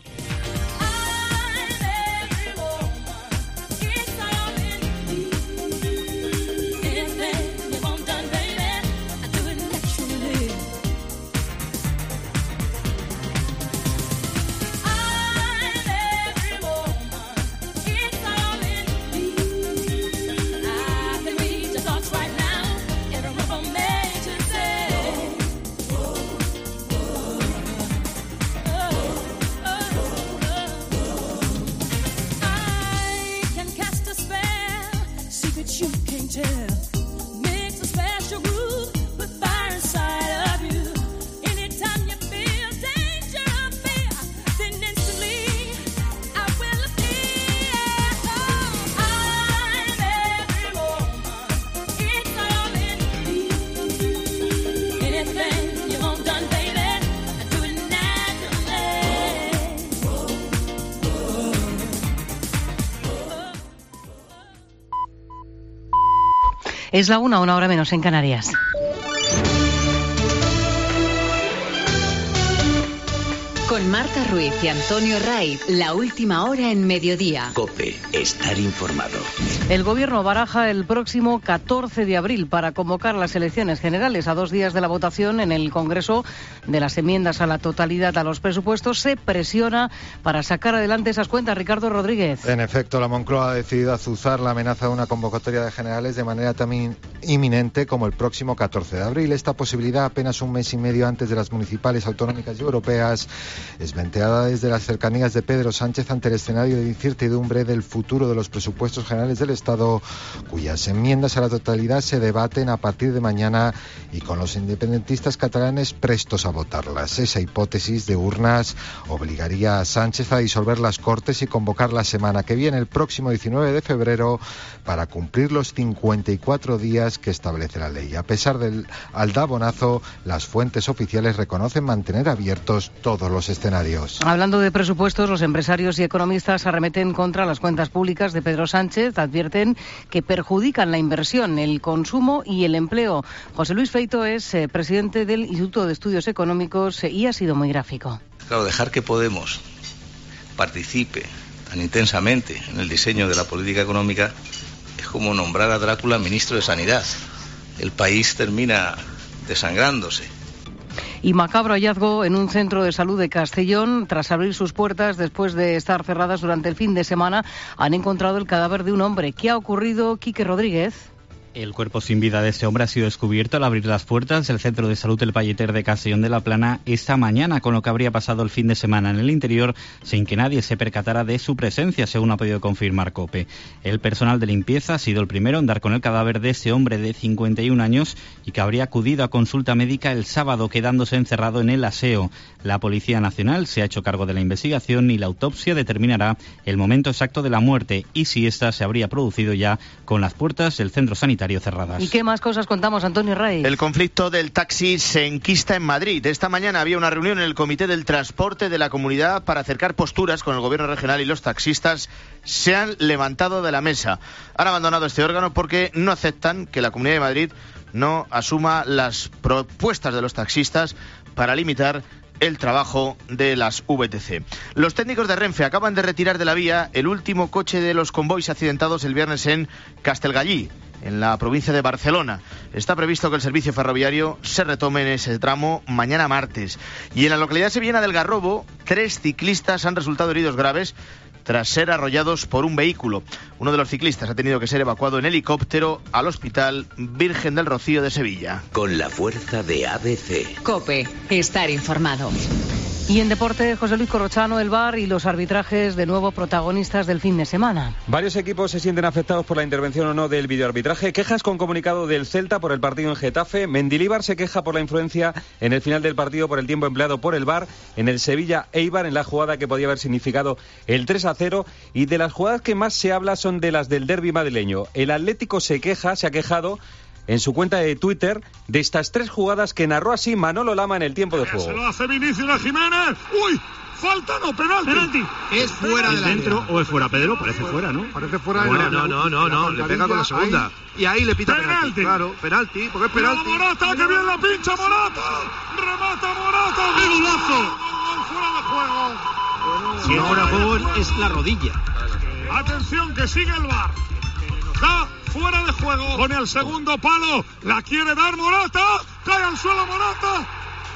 Es la 1, 1 hora menos en Canarias. Con Marta Ruiz y Antonio Raiz, la última hora en mediodía. COPE, estar informado. El Gobierno baraja el próximo 14 de abril para convocar las elecciones generales. A 2 días de la votación en el Congreso de las enmiendas a la totalidad a los presupuestos, se presiona para sacar adelante esas cuentas. Ricardo Rodríguez. En efecto, la Moncloa ha decidido azuzar la amenaza de una convocatoria de generales de manera tan inminente como el próximo 14 de abril. Esta posibilidad, apenas un mes y medio antes de las municipales, autonómicas y europeas, es venteada desde las cercanías de Pedro Sánchez ante el escenario de incertidumbre del futuro de los presupuestos generales del Estado, cuyas enmiendas a la totalidad se debaten a partir de mañana y con los independentistas catalanes prestos a votarlas. Esa hipótesis de urnas obligaría a Sánchez a disolver las Cortes y convocar la semana que viene, el próximo 19 de febrero, para cumplir los 54 días que establece la ley. A pesar del aldabonazo, las fuentes oficiales reconocen mantener abiertos todos los escenarios. Hablando de presupuestos, los empresarios y economistas arremeten contra las cuentas públicas de Pedro Sánchez. Advierten que perjudican la inversión, el consumo y el empleo. José Luis Feito es presidente del Instituto de Estudios Económicos y ha sido muy gráfico. Claro, dejar que Podemos participe tan intensamente en el diseño de la política económica es como nombrar a Drácula ministro de Sanidad. El país termina desangrándose. Y macabro hallazgo en un centro de salud de Castellón. Tras abrir sus puertas después de estar cerradas durante el fin de semana, han encontrado el cadáver de un hombre. ¿Qué ha ocurrido, Quique Rodríguez? El cuerpo sin vida de este hombre ha sido descubierto al abrir las puertas del Centro de Salud El Palleter de Castellón de la Plana esta mañana, con lo que habría pasado el fin de semana en el interior sin que nadie se percatara de su presencia, según ha podido confirmar COPE. El personal de limpieza ha sido el primero en dar con el cadáver de ese hombre de 51 años y que habría acudido a consulta médica el sábado, quedándose encerrado en el aseo. La Policía Nacional se ha hecho cargo de la investigación y la autopsia determinará el momento exacto de la muerte y si ésta se habría producido ya con las puertas del centro sanitario cerradas. ¿Y qué más cosas contamos, Antonio Rey? El conflicto del taxi se enquista en Madrid. Esta mañana había una reunión en el Comité del Transporte de la Comunidad para acercar posturas con el Gobierno regional y los taxistas se han levantado de la mesa. Han abandonado este órgano porque no aceptan que la Comunidad de Madrid no asuma las propuestas de los taxistas para limitar el trabajo de las VTC. Los técnicos de Renfe acaban de retirar de la vía el último coche de los convoys accidentados el viernes en Castellgalí, en la provincia de Barcelona. Está previsto que el servicio ferroviario se retome en ese tramo mañana martes. Y en la localidad sevillana del Garrobo, 3 ciclistas han resultado heridos graves tras ser arrollados por un vehículo. Uno de los ciclistas ha tenido que ser evacuado en helicóptero al Hospital Virgen del Rocío de Sevilla. Con la fuerza de ABC. COPE, estar informado. Y en deporte, José Luis Corrochano, el VAR y los arbitrajes de nuevo protagonistas del fin de semana. Varios equipos se sienten afectados por la intervención o no del videoarbitraje. Quejas con comunicado del Celta por el partido en Getafe. Mendilibar se queja por la influencia en el final del partido por el tiempo empleado por el VAR en el Sevilla-Eibar, en la jugada que podía haber significado el 3-0. Y de las jugadas que más se habla son de las del derbi madrileño. El Atlético se ha quejado en su cuenta de Twitter de estas 3 jugadas que narró así Manolo Lama en el tiempo de juego. Se lo hace Vinicius a Jiménez. ¡Uy! Falta, no, penalti. Es fuera del dentro o es fuera, Pedro, parece fuera, ¿no? Parece fuera. No, le pega con la segunda. Y ahí le pita penalti. Claro, penalti, porque es penalti. Morata, que bien la pincha Morata. Remata Morata. ¡Golazo! Fuera de juego. Si es fuera de juego es la rodilla. Atención, que sigue el VAR. Da fuera de juego. Pone al segundo palo. La quiere dar Morata. Cae al suelo Morata.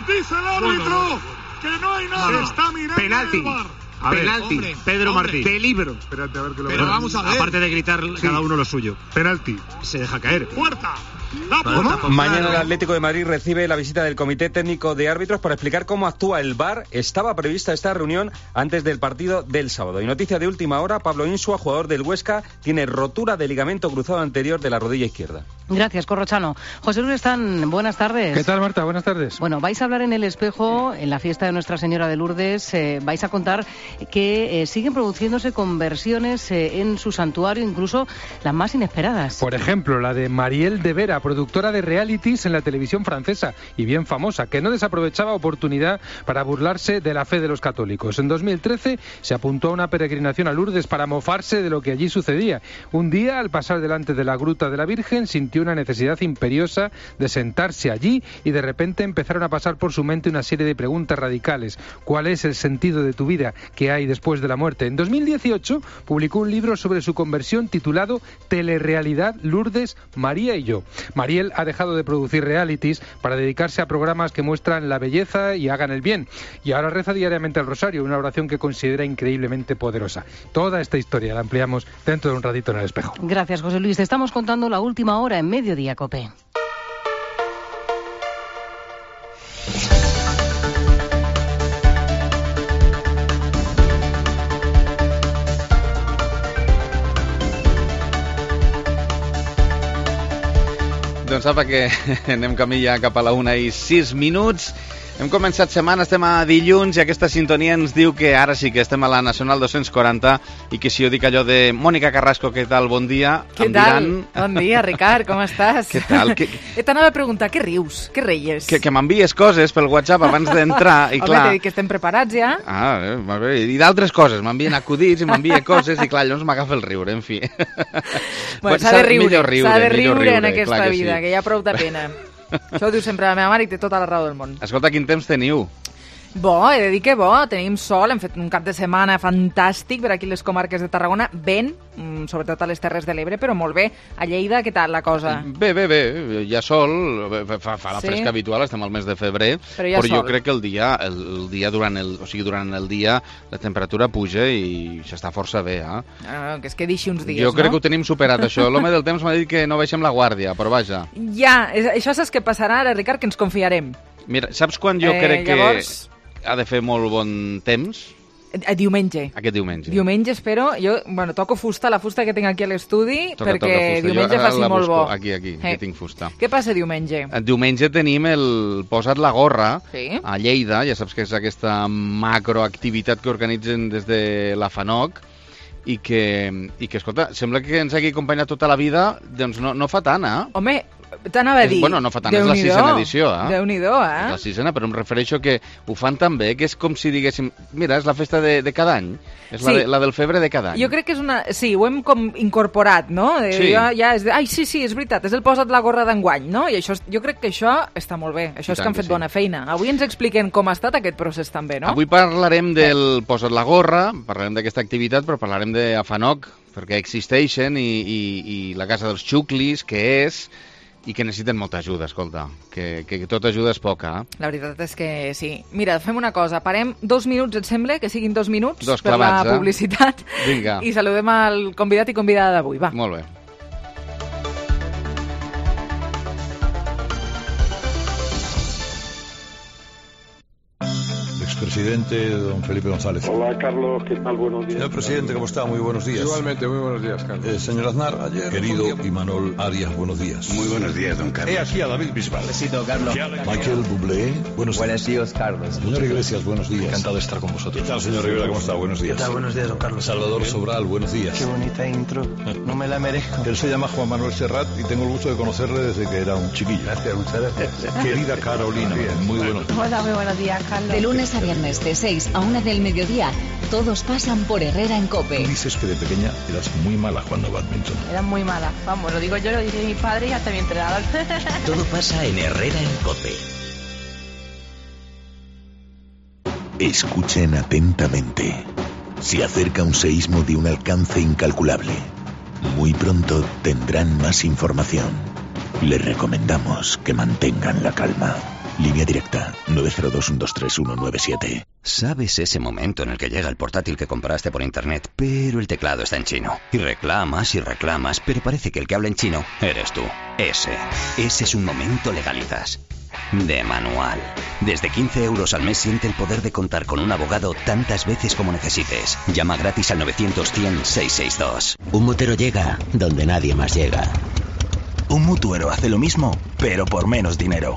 Dice el árbitro que no hay nada. Se está mirando penalti. el VAR. Penalti, Pedro Martín. Peligro. Espérate a ver que lo Pero vamos a ver. Aparte de gritar cada uno lo suyo. Penalti. Se deja caer. Puerta. Mañana el Atlético de Madrid recibe la visita del Comité Técnico de Árbitros para explicar cómo actúa el VAR. Estaba prevista esta reunión antes del partido del sábado. Y noticia de última hora, Pablo Insua, jugador del Huesca, tiene rotura de ligamento cruzado anterior de la rodilla izquierda. Gracias, Corrochano. José Luis Están, buenas tardes. ¿Qué tal, Marta? Buenas tardes. Bueno, vais a hablar en El Espejo, en la fiesta de Nuestra Señora de Lourdes, vais a contar que siguen produciéndose conversiones en su santuario, incluso las más inesperadas. Por ejemplo, la de Mariel de Vera, María, productora de realities en la televisión francesa y bien famosa, que no desaprovechaba oportunidad para burlarse de la fe de los católicos. En 2013 se apuntó a una peregrinación a Lourdes para mofarse de lo que allí sucedía. Un día, al pasar delante de la gruta de la Virgen, sintió una necesidad imperiosa de sentarse allí y de repente empezaron a pasar por su mente una serie de preguntas radicales. ¿Cuál es el sentido de tu vida? ¿Qué hay después de la muerte? En 2018 publicó un libro sobre su conversión titulado Telerrealidad, Lourdes, María y yo. Mariel ha dejado de producir realities para dedicarse a programas que muestran la belleza y hagan el bien. Y ahora reza diariamente el rosario, una oración que considera increíblemente poderosa. Toda esta historia la ampliamos dentro de un ratito en El Espejo. Gracias, José Luis. Te estamos contando la última hora en Mediodía COPE. Doncs apa que anem camí ja cap a la 1:06. Hem començat setmana, estem a dilluns i aquesta sintonia ens diu que ara sí que estem a la Nacional 240 i que si jo dic allò de Mònica Carrasco, què tal, bon dia, què em tal? Diran... Bon dia, Ricard, com estàs? Què tal? T'anava a preguntar, què rius? Què reies? Que m'envies coses pel WhatsApp abans d'entrar i clar... Home, t'he dit que estem preparats ja. Molt bé, i d'altres coses, m'envien acudits i m'envien coses i clar, llavors m'agafa el riure, en fi. Bueno, s'ha de riure en aquesta que vida, sí. que hi ha prou de pena. Això ho diu sempre la meva mare i té tota la raó del món. Escolta, quin temps teniu? Bo, he de dir que bo, tenim sol, hem fet un cap de setmana fantàstic per aquí les comarques de Tarragona, vent, sobretot a les Terres de l'Ebre, però molt bé. A Lleida, què tal la cosa? Bé, hi ha sol, fa la fresca habitual, estem al mes de febrer, però jo crec que el dia durant el dia la temperatura puja i s'està força bé, que es quedi així uns dies, jo crec que ho tenim superat, això. L'home del temps m'ha dit que no baixem la guàrdia, però vaja. Ja, això saps què passarà ara, Ricard, que ens confiarem. Mira, saps quan jo crec que ha de fer molt bon temps? Diumenge. Aquest diumenge. Diumenge, espero. Jo, toco fusta, la fusta que tinc aquí a l'estudi, perquè diumenge faci molt bo. Aquí tinc fusta. Què passa diumenge? Diumenge tenim el Posa't la gorra a Lleida, ja saps que és aquesta macroactivitat que organitzen des de la FANOC i que, escolta, sembla que ens hagi acompanyat tota la vida, doncs no fa tant, Home, t'anava a dir... Bueno, no fa tant, és la 6ª edició, Déu-n'hi-do, És la 6ª, però em refereixo que ho fan tan bé, que és com si diguéssim, mira, és la festa de cada any, és la del febre de cada any. Jo crec que és una... Sí, ho hem com incorporat, no? Sí. Ja és de... Ai, sí, és veritat, és el Posa't la gorra d'enguany, no? I això, jo crec que això està molt bé, això és que han fet bona feina. Avui ens expliquen com ha estat aquest procés també, no? Avui parlarem del Posa't la gorra, parlarem d'aquesta activitat, però parlarem de FANOC, perquè existeixen, i la Casa dels Xuclis, que és... i que necessiten molta ajuda, escolta, que tota ajuda és poca. La veritat és que sí. Mira, fem una cosa, parem 2 minuts, et sembla? Que siguin 2 minuts clavats, per la publicitat. Vinga. I saludem al convidat i convidada d'avui, va. Molt bé. Expresidente don Felipe González. Hola, Carlos, ¿qué tal? Buenos días. Señor presidente, ¿cómo está? Muy buenos días. Igualmente, muy buenos días, Carlos. Señor Aznar, ayer... Querido Imanol Arias, buenos días. Muy buenos días, don Carlos. He aquí a David Bisbal. Besito, Carlos. Michael Bublé, buenos días, Carlos. Señor Iglesias, buenos días. Encantado de estar con vosotros. ¿Qué tal, señor Rivera? ¿Cómo está? Buenos días. ¿Qué tal? Buenos días, don Carlos. Salvador Sobral, buenos días. Qué bonita intro. No me la merezco. Él se llama Juan Manuel Serrat y tengo el gusto de conocerle desde que era un chiquillo. Gracias, muchas gracias. Querida Carolina, muy buenos días. Hola, muy buenos días, Carlos. De lunes a viernes, de 6 a 1 del mediodía, todos pasan por Herrera en COPE. Tú dices que de pequeña eras muy mala jugando badminton. Era muy mala, vamos, lo digo yo, lo dice mi padre y hasta mi entrenador. Todo pasa en Herrera en COPE. Escuchen atentamente. Se acerca un seísmo de un alcance incalculable. Muy pronto tendrán más información. Les recomendamos que mantengan la calma. Línea directa 902-123-197. ¿Sabes ese momento en el que llega el portátil que compraste por internet, pero el teclado está en chino? Y reclamas, pero parece que el que habla en chino eres tú. Ese es un momento Legalizas. De manual. Desde 15 euros al mes siente el poder de contar con un abogado tantas veces como necesites. Llama gratis al 900-100-662. Un motero llega donde nadie más llega. Un mutuero hace lo mismo, pero por menos dinero.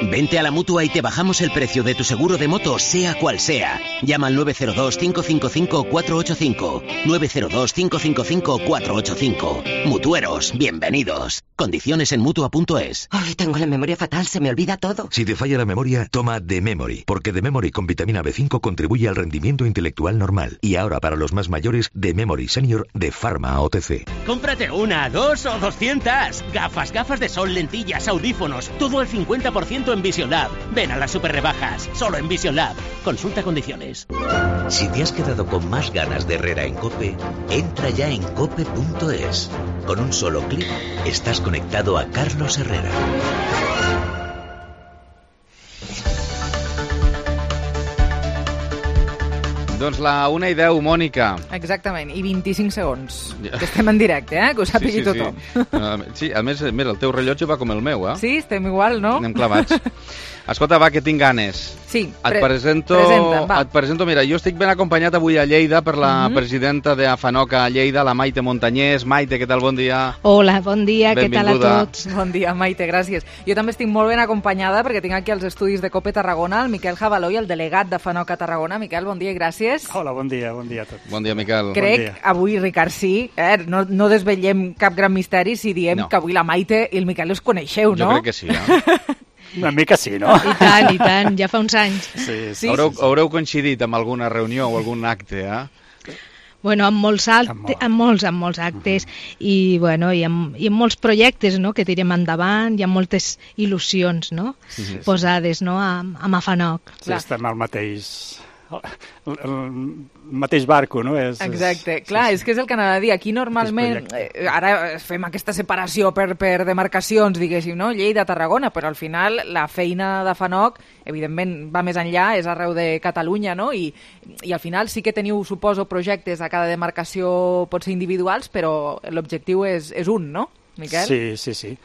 Vente a la Mutua y te bajamos el precio de tu seguro de moto, sea cual sea. Llama al 902-555-485. 902-555-485. Mutueros, bienvenidos. Condiciones en Mutua.es. Ay, tengo la memoria fatal, se me olvida todo. Si te falla la memoria, toma The Memory, porque The Memory con vitamina B5 contribuye al rendimiento intelectual normal. Y ahora para los más mayores, The Memory Senior de Pharma OTC. Cómprate una, 2 o 200. Gafas de sol, lentillas, audífonos, todo al 50% en Vision Lab. Ven a las super rebajas, solo en Vision Lab. Consulta condiciones. Si te has quedado con más ganas de Herrera en COPE, entra ya en cope.es. Con un solo clic, estás conectado a Carlos Herrera. Doncs la 1:10, Mònica. Exactament, i 25 segons. Que estem en directe, que ho sàpigui tothom. Sí, a més, mira, el teu rellotge va com el meu, Sí, estem igual, no? Anem clavats. Escolta, va, que tinc ganes. Sí, et presento, mira, jo estic ben acompanyat avui a Lleida per la presidenta d'AFANOC a Lleida, la Maite Montañés. Maite, què tal? Bon dia. Hola, bon dia, què tal a tots? Bon dia, Maite, gràcies. Jo també estic molt ben acompanyada perquè tinc aquí als estudis de COPE Tarragona el Miquel Jabaló i el delegat d'AFANOC a Tarragona. Miquel, bon dia i gràcies. Hola, bon dia a tots. Bon dia, Miquel. Crec, avui, Ricard, sí, no desvetllem cap gran misteri si diem que avui la Maite i el Miquel els coneixeu, no? Jo crec que sí, Una mica sí, no? I tant, ja fa uns anys. Sí. Haureu coincidit amb alguna reunió o algun acte, Bueno, amb molts actes i, bueno, i amb molts projectes, no?, que tirem endavant, hi ha moltes il·lusions, no?, posades, no?, amb AFANOC. Sí, estem al mateix barco, no? Exacte, clar, és que és el que anava a dir. Aquí normalment, ara fem aquesta separació per demarcacions, diguéssim, no? Lleida-Tarragona, però al final la feina d'AFANOC, evidentment, va més enllà, és arreu de Catalunya, no? I al final sí que teniu, suposo, projectes a cada demarcació, pot ser individuals, però l'objectiu és un, no? Miquel? Sí,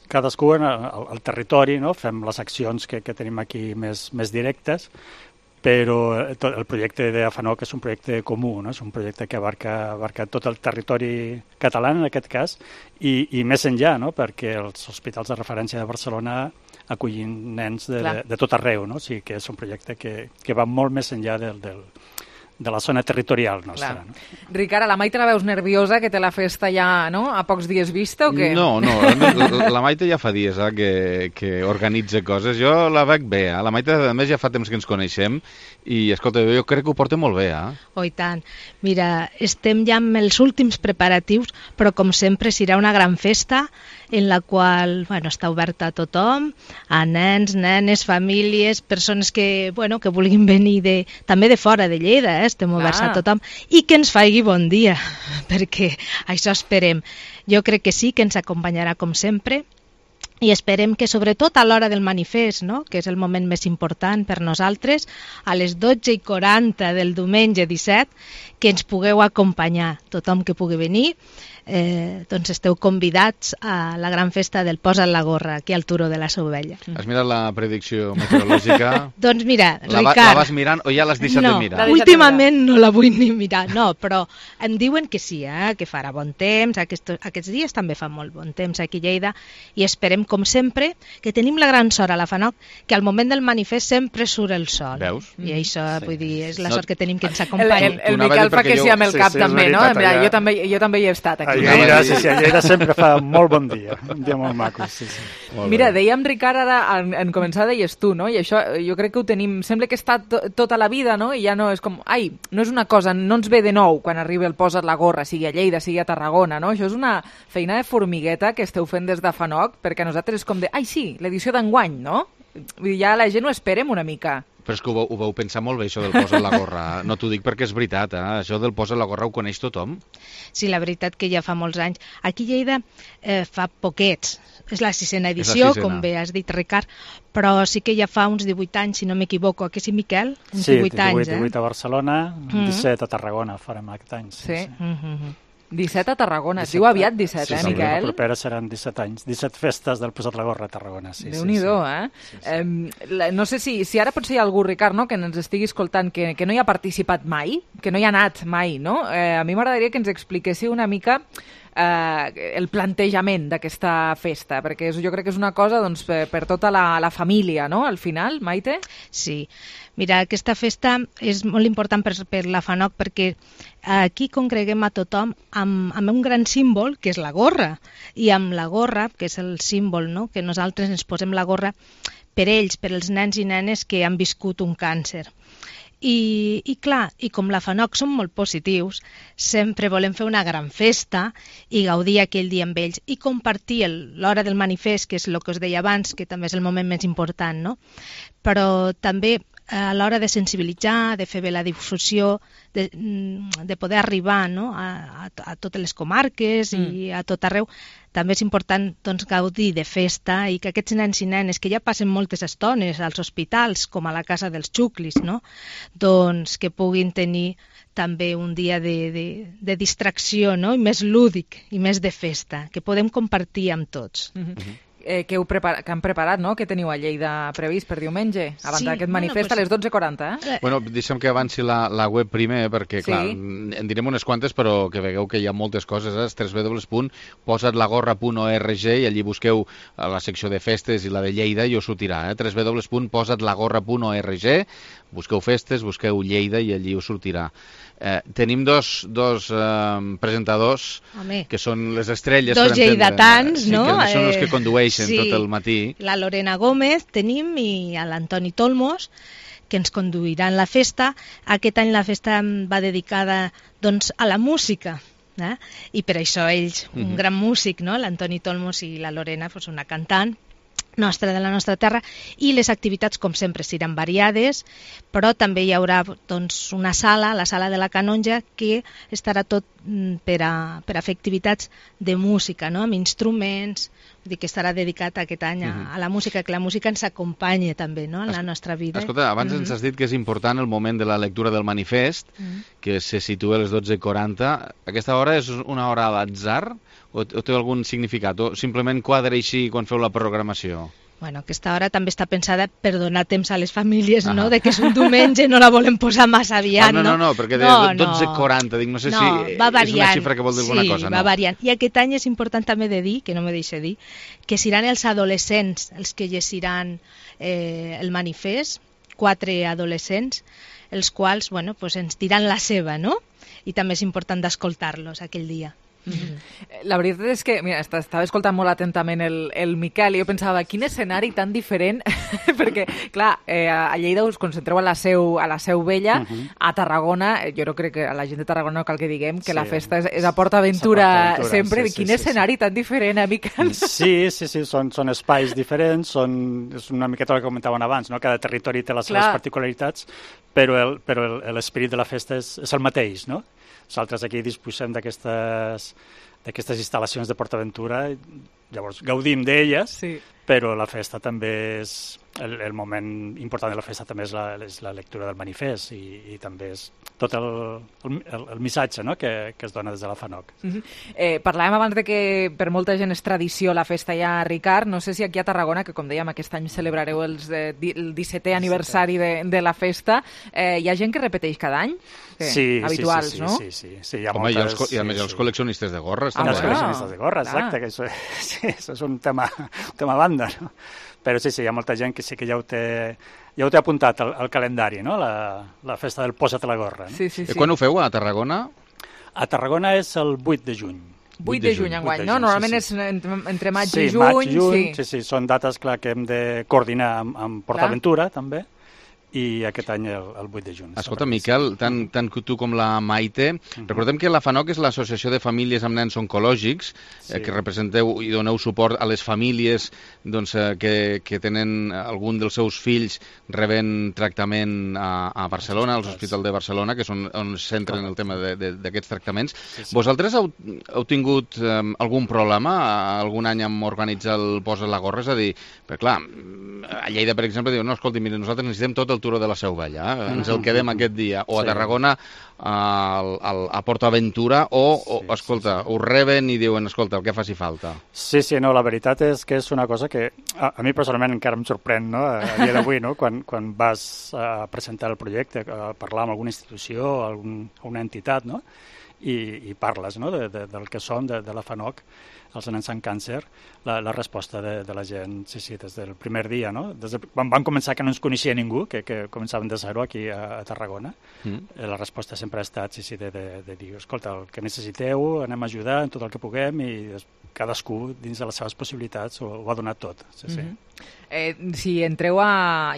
cadascú al territori, no? Fem les accions que tenim aquí més directes, però el projecte d'AFANOC és un projecte comú, no? És un projecte que abarca tot el territori català, en aquest cas, i més enllà, no? Perquè els hospitals de referència de Barcelona acullen nens de tot arreu, no? O sigui que és un projecte que va molt més enllà de la zona territorial nostra. No? Ricard, la Maite la veus nerviosa, que té la festa ja, no?, a pocs dies vista o què? No, la Maite ja fa dies que organitza coses. Jo la veig bé, La Maite, a més, ja fa temps que ens coneixem i, escolta, jo crec que ho porta molt bé, Oh, i tant. Mira, estem ja amb els últims preparatius, però, com sempre, serà una gran festa en la qual, està oberta a tothom, a nens, nenes, famílies, persones que vulguin venir també de fora de Lleida, estem oberts a tothom, i que ens faci bon dia, perquè això esperem. Jo crec que sí, que ens acompanyarà com sempre, i esperem que, sobretot a l'hora del manifest, no?, que és el moment més important per nosaltres, a les 12:40 del diumenge 17, que ens pugueu acompanyar, tothom que pugui venir. Doncs esteu convidats a la gran festa del Posa't la gorra, aquí al Turó de la Sovella. Has mirat la predicció meteorològica? Doncs mira, Ricard... La vas mirant o ja l'has deixat de mirar? No, últimament no la vull ni mirar, no, però em diuen que sí, que farà bon temps, aquests dies també fa molt bon temps aquí a Lleida, i esperem, com sempre, que tenim la gran sort a l'AFANOC, que al moment del manifest sempre surt el sol. Veus? I això, vull dir, és la sort que tenim que ens acompanyi. El Miquel fa que sí amb el cap, també, no? Jo també hi he estat aquí. A Lleida sempre fa molt bon dia, un dia molt maco. Mira, dèiem, Ricard, ara en començar deies tu, no? I això jo crec que ho tenim, sembla que està tota la vida, no? I ja no és com, no és una cosa, no ens ve de nou quan arriba el Posa't la gorra, sigui a Lleida, sigui a Tarragona, no? Això és una feina de formigueta que esteu fent des d'AFANOC, perquè a nosaltres és com de, sí, l'edició d'enguany, no? Ja la gent ho esperem una mica. Però és que ho vau pensar molt bé, això del Posa't la gorra. No t'ho dic perquè és veritat, això del Posa't la gorra ho coneix tothom? Sí, la veritat que ja fa molts anys. Aquí a Lleida fa poquets, és la 6ª edició, com bé has dit, Ricard, però sí que ja fa uns 18 anys, si no m'equivoco, que sí, Miquel? Uns 18 anys, 18 a Barcelona, 17 a Tarragona farem aquest any. Sí. 17 a Tarragona, es diu aviat 17, Miquel? La propera seran 17 anys, 17 festes del Posa't la gorra a Tarragona. Déu-n'hi-do, No sé si ara potser hi ha algú, Ricard, no?, que ens estigui escoltant, que no hi ha participat mai, que no hi ha anat mai, no? A mi m'agradaria que ens expliquéssiu una mica el plantejament d'aquesta festa? Perquè jo crec que és una cosa doncs, per tota la família, no?, al final, Maite? Sí. Mira, aquesta festa és molt important per la FANOC perquè aquí congreguem a tothom amb un gran símbol, que és la gorra. I amb la gorra, que és el símbol, no?, que nosaltres ens posem la gorra per ells, per els nens i nenes que han viscut un càncer. I clar, i com la FANOC som molt positius, sempre volem fer una gran festa i gaudir aquell dia amb ells i compartir l'hora del manifest, que és el que us deia abans, que també és el moment més important, no? Però també a l'hora de sensibilitzar, de fer bé la difusió, de poder arribar, no?, a totes les comarques i a tot arreu, també és important doncs, gaudir de festa i que aquests nens i nenes que ja passen moltes estones als hospitals, com a la casa dels xuclis, no?, doncs que puguin tenir també un dia de distracció, no?, i més lúdic i més de festa, que podem compartir amb tots. Que han preparat, no?, que teniu a Lleida previst per diumenge, abans d'aquest manifest a les 12:40, Bueno, deixem que avanci la web primer, perquè, clar, en direm unes quantes, però que veieu que hi ha moltes coses, www.posatlagorra.org, i allí busqueu la secció de festes i la de Lleida i us sortirà, www.posatlagorra.org, busqueu festes, busqueu Lleida i allí us sortirà. Tenim dos presentadors que són les estrelles, dos lleidatans, no? Que són els que condueixen tot el matí. La Lorena Gómez tenim i l'Antoni Tolmos, que ens conduiran la festa. Aquest any la festa va dedicada doncs, a la música, i per això ells, un gran músic, no? L'Antoni Tolmos i la Lorena, doncs, una cantant nostra de la nostra terra, i les activitats com sempre seran variades, però també hi haurà doncs, una sala, la sala de la Canonja, que estarà tot per a fer activitats de música, no?, amb instruments, vull dir que estarà dedicat aquest any a la música, que la música ens acompanya també, no?, en la nostra vida. Escolta, abans ens has dit que és important el moment de la lectura del manifest, que se situa a les 12:40. Aquesta hora és una hora a l'atzar? O té algun significat? O simplement quadra així quan feu la programació? Bueno, aquesta hora també està pensada per donar temps a les famílies, no?, de que és un diumenge, no la volem posar massa aviat, no? No, perquè de 12:40, dic, no sé si és una xifra que vol dir alguna cosa, no? Sí, va variant. I aquest any és important també de dir, que no me deixa dir, que seran els adolescents els que llegiran el manifest, 4 adolescents, els quals, bueno, pues ens diran la seva, no? I també és important d'escoltar-los aquell dia. La veritat és que, mira, estava escoltant molt atentament el Miquel i jo pensava, quin escenari tan diferent, perquè, clar, a Lleida us concentreu a la Seu Vella, a Tarragona, jo no crec que a la gent de Tarragona no cal que diguem que la festa és a Port Aventura sempre, quin escenari tan diferent, Miquel? Sí, són espais diferents, és una miqueta el que comentaven abans, no? Cada territori té les seves particularitats, però l'esperit de la festa és el mateix, no? Nosaltres aquí disposem d'aquestes instal·lacions de Port Aventura, llavors gaudim d'elles, però la festa també és... El moment important de la festa també és la lectura del manifest i també és tot el missatge, no?, que es dona des de la FANOC. Parlàvem abans de que per molta gent és tradició la festa ja, Ricard. No sé si aquí a Tarragona, que com dèiem aquest any celebrareu el 17è aniversari de la festa, hi ha gent que repeteix cada any? Sí, habituals, no? Sí. Home, i a més els col·leccionistes de gorres. Els col·leccionistes de gorres, exacte, que això és un tema a banda, no? Però sí, hi ha molta gent que sí que ja ho té apuntat al calendari, no?, la festa del Posa't la gorra. Sí. Quan ho feu, a Tarragona? A Tarragona és el 8 de juny. 8 de juny enguany, no? Normalment és entre maig i juny. Maig i juny, sí, són dates, clar, que hem de coordinar amb Port Aventura, també, i aquest any el 8 de juny. Escolta, Miquel, tant tu com la Maite, recordem que la FANOC és l'Associació de Famílies amb Nens Oncològics, que representeu i doneu suport a les famílies que tenen algun dels seus fills rebent tractament a Barcelona, als hospitals de Barcelona, que és on es centren el tema d'aquests tractaments. Vosaltres heu tingut algun problema algun any amb organitzar el Posa't la gorra? És a dir, perquè clar, a Lleida, per exemple, diuen, no, escolti, mira, nosaltres necessitem tot el turó de la Seu Vella, ens el quedem aquest dia, o a Tarragona a Port Aventura, o escolta, us reben i diuen, escolta, el que faci falta. Sí, no, la veritat és que és una cosa que a mi personalment encara em sorprèn, no?, a dia d'avui, no?, quan vas a presentar el projecte, a parlar amb alguna institució, alguna entitat, no?, i parles, no?, del que són, de la FANOC, els nens amb càncer, la resposta de la gent, sí, des del primer dia, no? Quan van començar que no ens coneixia ningú, que començaven de zero aquí a Tarragona, la resposta sempre ha estat, sí, de dir, escolta, el que necessiteu, anem a ajudar en tot el que puguem, i cadascú, dins de les seves possibilitats, ho ha donat tot. Sí. Si entreu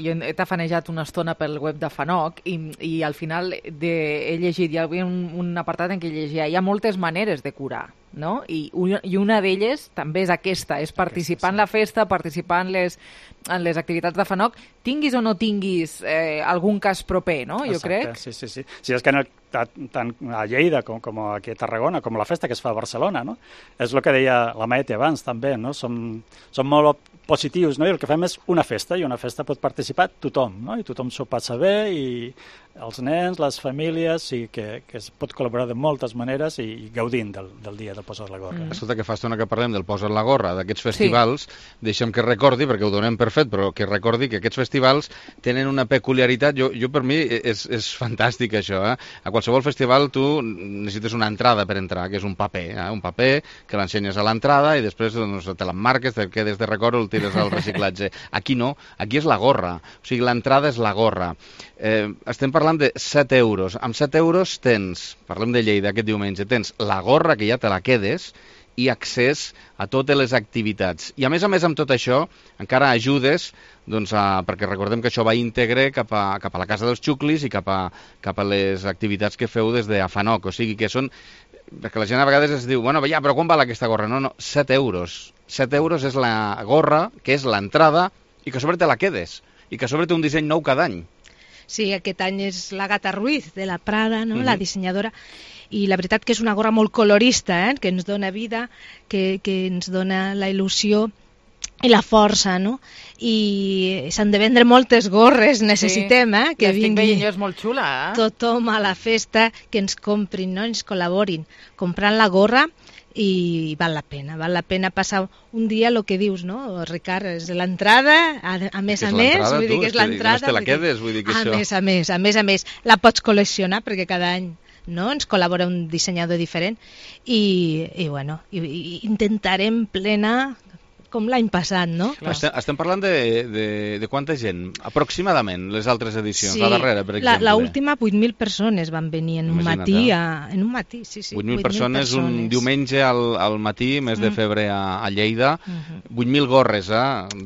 jo he tafanejat una estona pel web de FANOC i al final he llegit, hi havia un apartat en què llegia, hi ha moltes maneres de curar, no? I una d'elles també és aquesta, és participar en la festa, participar en les activitats de FANOC, tinguis o no tinguis algun cas proper, no? Jo crec. Sí. Sí, és que tant a Lleida com aquí a Tarragona, com la festa que es fa a Barcelona, no? És el que deia la Maete abans, també, no? Som molt positius, no? I el que fem és una festa, i una festa pot participar tothom, no? I tothom s'ho passa bé, i els nens, les famílies, i que es pot col·laborar de moltes maneres i gaudint del dia de Posa't la gorra. Escolta, que fa estona que parlem del Posa't la gorra, d'aquests festivals, deixa'm que recordi, perquè ho donem per fet, però que recordi que aquests festivals tenen una peculiaritat, jo per mi és fantàstic això, A qualsevol festival tu necessites una entrada per entrar, que és un paper, un paper que l'ensenyes a l'entrada i després te l'emmarques, te quedes de record o el tires al reciclatge. Aquí no, aquí és la gorra, o sigui, l'entrada és la gorra. Estem parlant de 7 euros. Amb 7 euros tens, parlem de Lleida aquest diumenge, tens la gorra que ja te la quedes i accés a totes les activitats. I a més amb tot això encara ajudes, perquè recordem que això va íntegre cap a la Casa dels Xuclis i cap a les activitats que feu des de FANOC, o sigui que són, perquè la gent a vegades es diu, bueno, ja, però quan val aquesta gorra? No, 7 euros. 7 euros és la gorra, que és l'entrada, i que a sobre te la quedes, i que a sobre té un disseny nou cada any. Sí, aquest any és l'Agata Ruiz, de la Prada, no? La dissenyadora, i la veritat que és una gorra molt colorista, que ens dona vida, que ens dona la il·lusió i la força, no? I s'han de vendre moltes gorres, necessitem, que vingui és molt xula, tothom a la festa, que ens comprin, no? Ens col·laborin comprant la gorra, i val la pena passar un dia, el que dius, no, Ricard, és l'entrada, a més, vull dir que és l'entrada, no te la quedes, vull dir que això... A més, la pots col·leccionar, perquè cada any, no, ens col·labora un dissenyador diferent, i intentarem plenar com l'any passat, no? Estem parlant de quanta gent? Aproximadament, les altres edicions, la darrera, per exemple. L'última, 8.000 persones van venir en un matí. En un matí, sí. 8.000 persones un diumenge al matí, mes de febrer a Lleida. 8.000 gorres,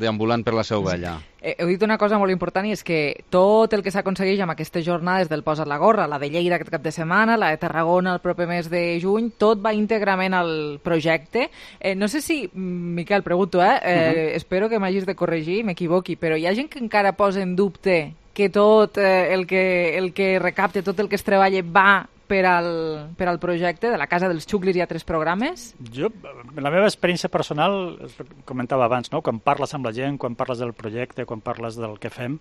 deambulant per la Seu Vella. Heu dit una cosa molt important, i és que tot el que s'aconsegueix amb aquestes jornades del Posa't la gorra, la de Lleida aquest cap de setmana, la de Tarragona el proper mes de juny, tot va íntegrament al projecte. No sé si, Miquel, pregunto, espero que m'hagis de corregir, m'equivoqui, però hi ha gent que encara posa en dubte que tot el que recapte, tot el que es treballa va per al projecte de la Casa dels Xuclis. Hi ha 3 programes? Jo, la meva experiència personal, comentava abans, no? Quan parles amb la gent, quan parles del projecte, quan parles del que fem,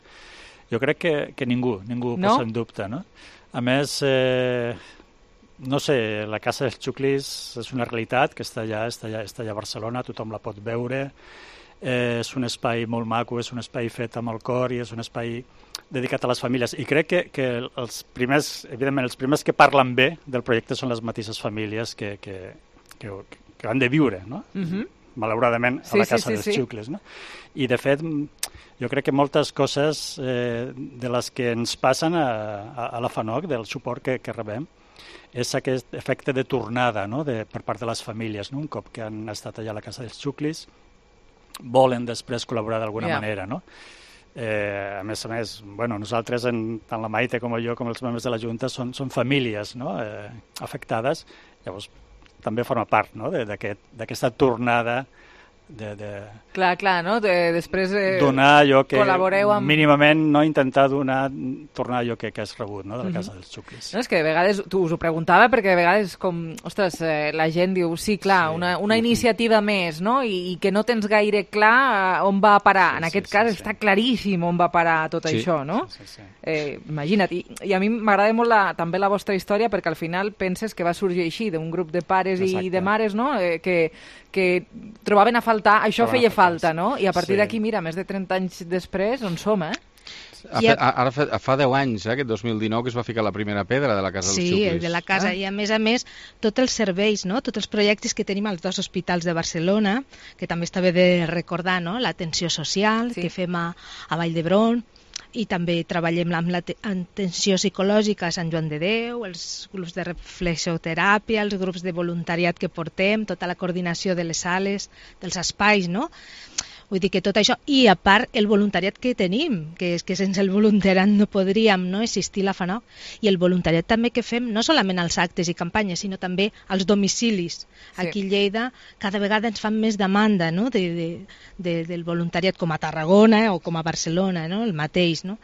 jo crec que ningú posa en dubte, no? A més, no sé, la Casa dels Xuclis és una realitat que està allà a Barcelona, tothom la pot veure, és un espai molt maco, és un espai fet amb el cor i és un espai dedicat a les famílies, i crec que els primers que parlen bé del projecte són les mateixes famílies que han de viure, no? Malauradament, a la Casa dels Xuclis, no? I de fet, jo crec que moltes coses de les que ens passen a la FANOC, del suport que rebem, és aquest efecte de tornada, no? Per part de les famílies, no? Un cop que han estat allà a la Casa dels Xuclis, volen després col·laborar d'alguna manera, no? A més, nosaltres, tant la Maite com jo, com els membres de la Junta, són famílies, no? Afectades, llavors també forma part, no? D'aquesta tornada Clar, no? Després donar allò que col·laboreu amb... mínimament, no? Intentar tornar allò que has rebut, no? De la Casa dels Xuclis. No, és que de vegades, tu us ho preguntava, perquè de vegades la gent diu, sí, clar, una iniciativa més, no? I que no tens gaire clar on va a parar. En aquest cas està claríssim on va parar tot això, no? Imagina't. I a mi m'agrada molt també la vostra història, perquè al final penses que va sorgir així, d'un grup de pares i de mares, no? Que trobaven a faltar, això feia falta, no? I a partir d'aquí, mira, més de 30 anys després, on som, Ara fa 10 anys, aquest 2019, que es va ficar la primera pedra de la Casa dels Xuclis. Sí, de la casa. I a més, tots els serveis, no? Tots els projectes que tenim als 2 hospitals de Barcelona, que també està bé de recordar, no? L'atenció social que fem a Vall d'Hebron, i també treballem amb l'atenció psicològica a Sant Joan de Déu, els grups de reflexioteràpia, els grups de voluntariat que portem, tota la coordinació de les sales, dels espais, no? Vull dir que tot això, i a part el voluntariat que tenim, que és que sense el voluntariat no podríem existir la FANOC, i el voluntariat també que fem, no solament als actes i campanyes, sinó també als domicilis. Aquí a Lleida cada vegada ens fan més demanda, no? del voluntariat, com a Tarragona o com a Barcelona, no? El mateix, no?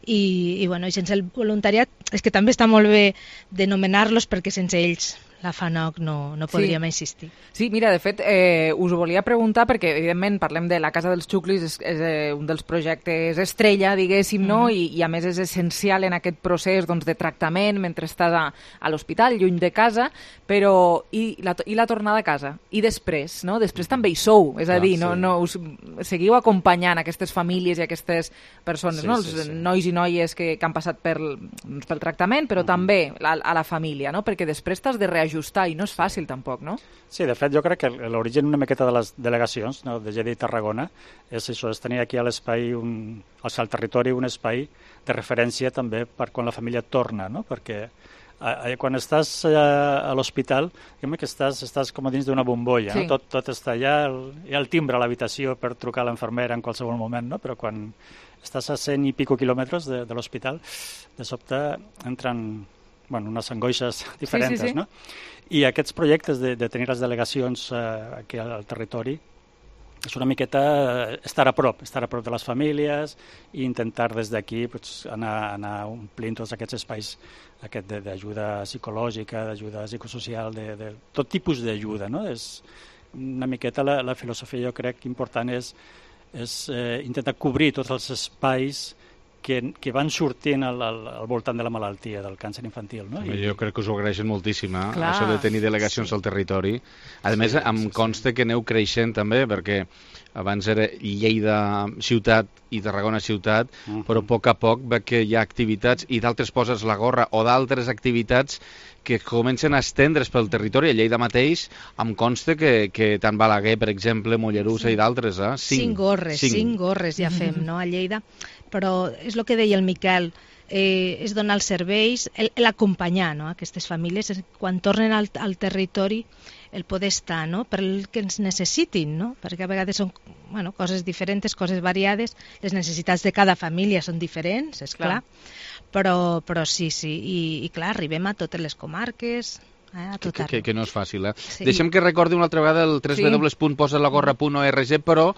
I sense el voluntariat és que també està molt bé denomenar-los, perquè sense ells la FANOC no podríem existir. Sí, mira, de fet, us ho volia preguntar perquè, evidentment, parlem de la Casa dels Xuclis, és un dels projectes estrella, diguéssim, no? I a més és essencial en aquest procés de tractament mentre estàs a l'hospital, lluny de casa, però i la tornada a casa? I després, no? Després també hi sou, és a dir, no us seguiu acompanyant aquestes famílies i aquestes persones, no? Els nois i noies que han passat pel tractament, però també a la família, no? Perquè després t'has de reajustar i no és fàcil tampoc, no? Sí, de fet jo crec que l'origen una miqueta de les delegacions, no, de Lleida i Tarragona és això, és tenir aquí a l'espai, al territori, un espai de referència també per quan la família torna, no? Perquè quan estàs a l'hospital, que estàs com dins d'una bombolla, no? Tot està allà, hi ha el timbre a l'habitació per trucar a l'infermera en qualsevol moment, no? Però quan estàs a 100 i pico quilòmetres de l'hospital, de sobte entren unes angoixes diferents, no? I aquests projectes de tenir les delegacions aquí al territori és una miqueta estar a prop de les famílies i intentar des d'aquí anar omplint tots aquests espais d'ajuda psicològica, d'ajuda psicosocial, de tot tipus d'ajuda, no? És una miqueta la filosofia, jo crec, important és intentar cobrir tots els espais que van sortint al voltant de la malaltia, del càncer infantil. No? Jo crec que us ho agraeixen moltíssim, això de tenir delegacions al territori. A més, em consta que aneu creixent també, perquè abans era Lleida ciutat i Tarragona ciutat, però a poc veig que hi ha activitats i d'altres poses la gorra o d'altres activitats que comencen a estendre's pel territori. A Lleida mateix em consta que tant Balaguer, per exemple, Mollerussa i d'altres. 5 gorres ja fem, no? A Lleida. Però és el que deia el Miquel, és donar els serveis, l'acompanyar, no? Aquestes famílies, quan tornen al territori, el poder estar, no? Per el que ens necessitin, no? Perquè a vegades són coses diferents, coses variades, les necessitats de cada família són diferents, és clar. Però sí, i clar, arribem a totes les comarques, a tot arreu. Que no és fàcil, Sí. Deixem que recordi una altra vegada el www.posalagorra.org, però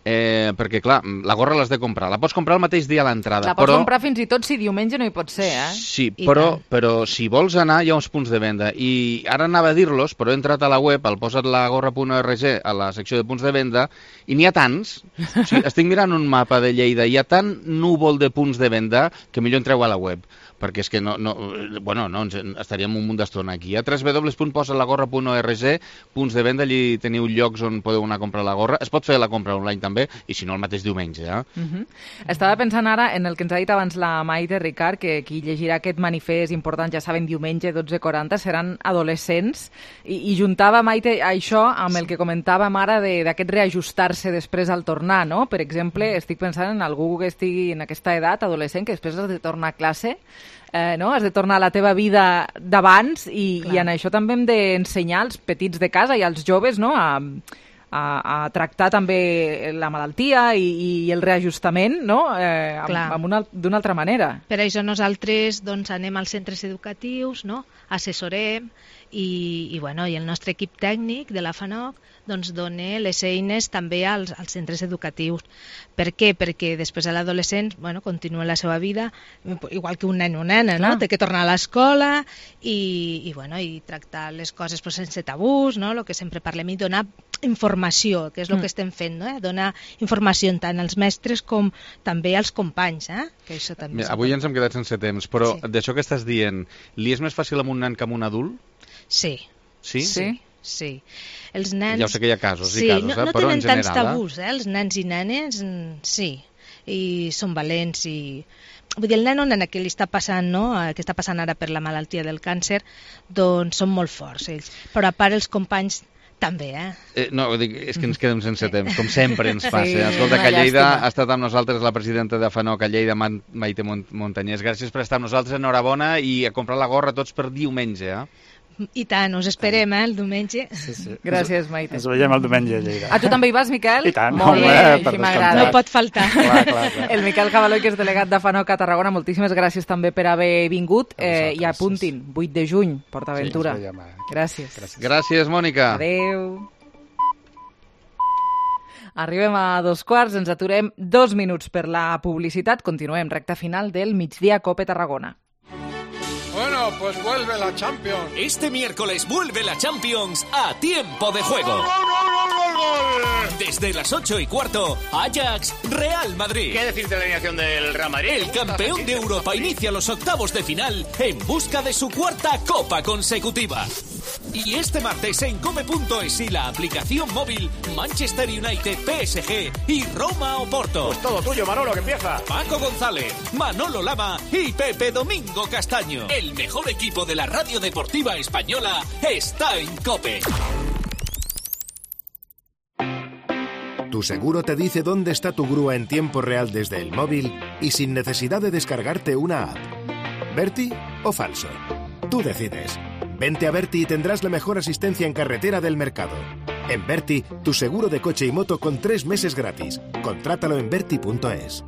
perquè clar, la gorra l'has de comprar, la pots comprar el mateix dia a l'entrada. La pots comprar fins i tot si diumenge no hi pot ser, Sí, però si vols anar hi ha uns punts de venda, i ara anava a dir-los, però he entrat a la web, al posalagorra.org, a la secció de punts de venda, i n'hi ha tants, estic mirant un mapa de Lleida, hi ha tant núvol de punts de venda que millor entreu a la web, perquè és que estaríem un munt d'estona aquí. A www.posalagorra.org, punts de venda, allí teniu llocs on podeu anar a comprar la gorra. Es pot fer la compra online també, i si no el mateix diumenge. Estava pensant ara en el que ens ha dit abans la Maite Ricard, que qui llegirà aquest manifest important, ja saben, diumenge 12:40, seran adolescents, i juntava, Maite, això amb el que comentàvem ara d'aquest reajustar-se després al tornar, no? Per exemple, estic pensant en algú que estigui en aquesta edat, adolescent, que després has de tornar a classe, no? Has de tornar a la teva vida d'abans, i en això també hem d'ensenyar als petits de casa i als joves, no? A tractar també la malaltia i el reajustament, no? D'una altra manera. Per això nosaltres anem als centres educatius, no? Assessorem, i el nostre equip tècnic de la FANOC dona les eines també als centres educatius. Per què? Perquè després de l'adolescent continua la seva vida igual que un nen o nena, no? Té que tornar a l'escola i tractar les coses sense tabús, no? El que sempre parlem, i donar informació, que és el que estem fent, no? Donar informació tant als mestres com també als companys, que això també. Avui ens hem quedat sense temps, però d'això que estàs dient, li és més fàcil amb un nen que amb un adult? Sí. Sí? Sí. Els nens... Ja ho sé que hi ha casos i casos, no però en general... No tenen tants tabús, els nens i nenes, sí. i són valents i... Vull dir, el nen que li està passant, no? Que està passant ara per la malaltia del càncer, doncs són molt forts ells. Però a part els companys també, No, és que ens quedem sense temps, com sempre ens passa. Sí, Escolta, que a Lleida ha estat amb nosaltres la presidenta de FANOC a Lleida, Maite Montañés. Gràcies per estar amb nosaltres, enhorabona, i a comprar la gorra tots per diumenge, I tant, us esperem, el diumenge. Sí. Gràcies, Maite. Ens veiem el diumenge a Lleida. Tu també hi vas, Miquel? I tant. Molt bé, així m'agrada. No pot faltar. Clar. El Miquel Cavaloi, que és delegat de FANOC a Tarragona, moltíssimes gràcies també per haver vingut i apuntin, 8 de juny, PortAventura. Gràcies. Gràcies, Mònica. Adéu. Arribem a 2:15, ens aturem 2 minuts per la publicitat. Continuem, recta final del Migdia Cope Tarragona. Bueno, pues vuelve la Champions. Este miércoles vuelve la Champions a tiempo de juego. ¡Gol! Desde las 8:15, Ajax, Real Madrid. ¿Qué decir de la alineación del Real Madrid? El campeón de Europa inicia los octavos de final en busca de su 4ª Copa consecutiva. Y este martes en Cope.es y la aplicación móvil, Manchester United, PSG y Roma Oporto. Pues todo tuyo, Manolo, que empieza. Paco González, Manolo Lama y Pepe Domingo Castaño. El mejor equipo de la radio deportiva española está en Cope. Tu seguro te dice dónde está tu grúa en tiempo real desde el móvil y sin necesidad de descargarte una app. ¿Berti o falso? Tú decides. Vente a Berti y tendrás la mejor asistencia en carretera del mercado. En Berti, tu seguro de coche y moto con 3 meses gratis. Contrátalo en berti.es.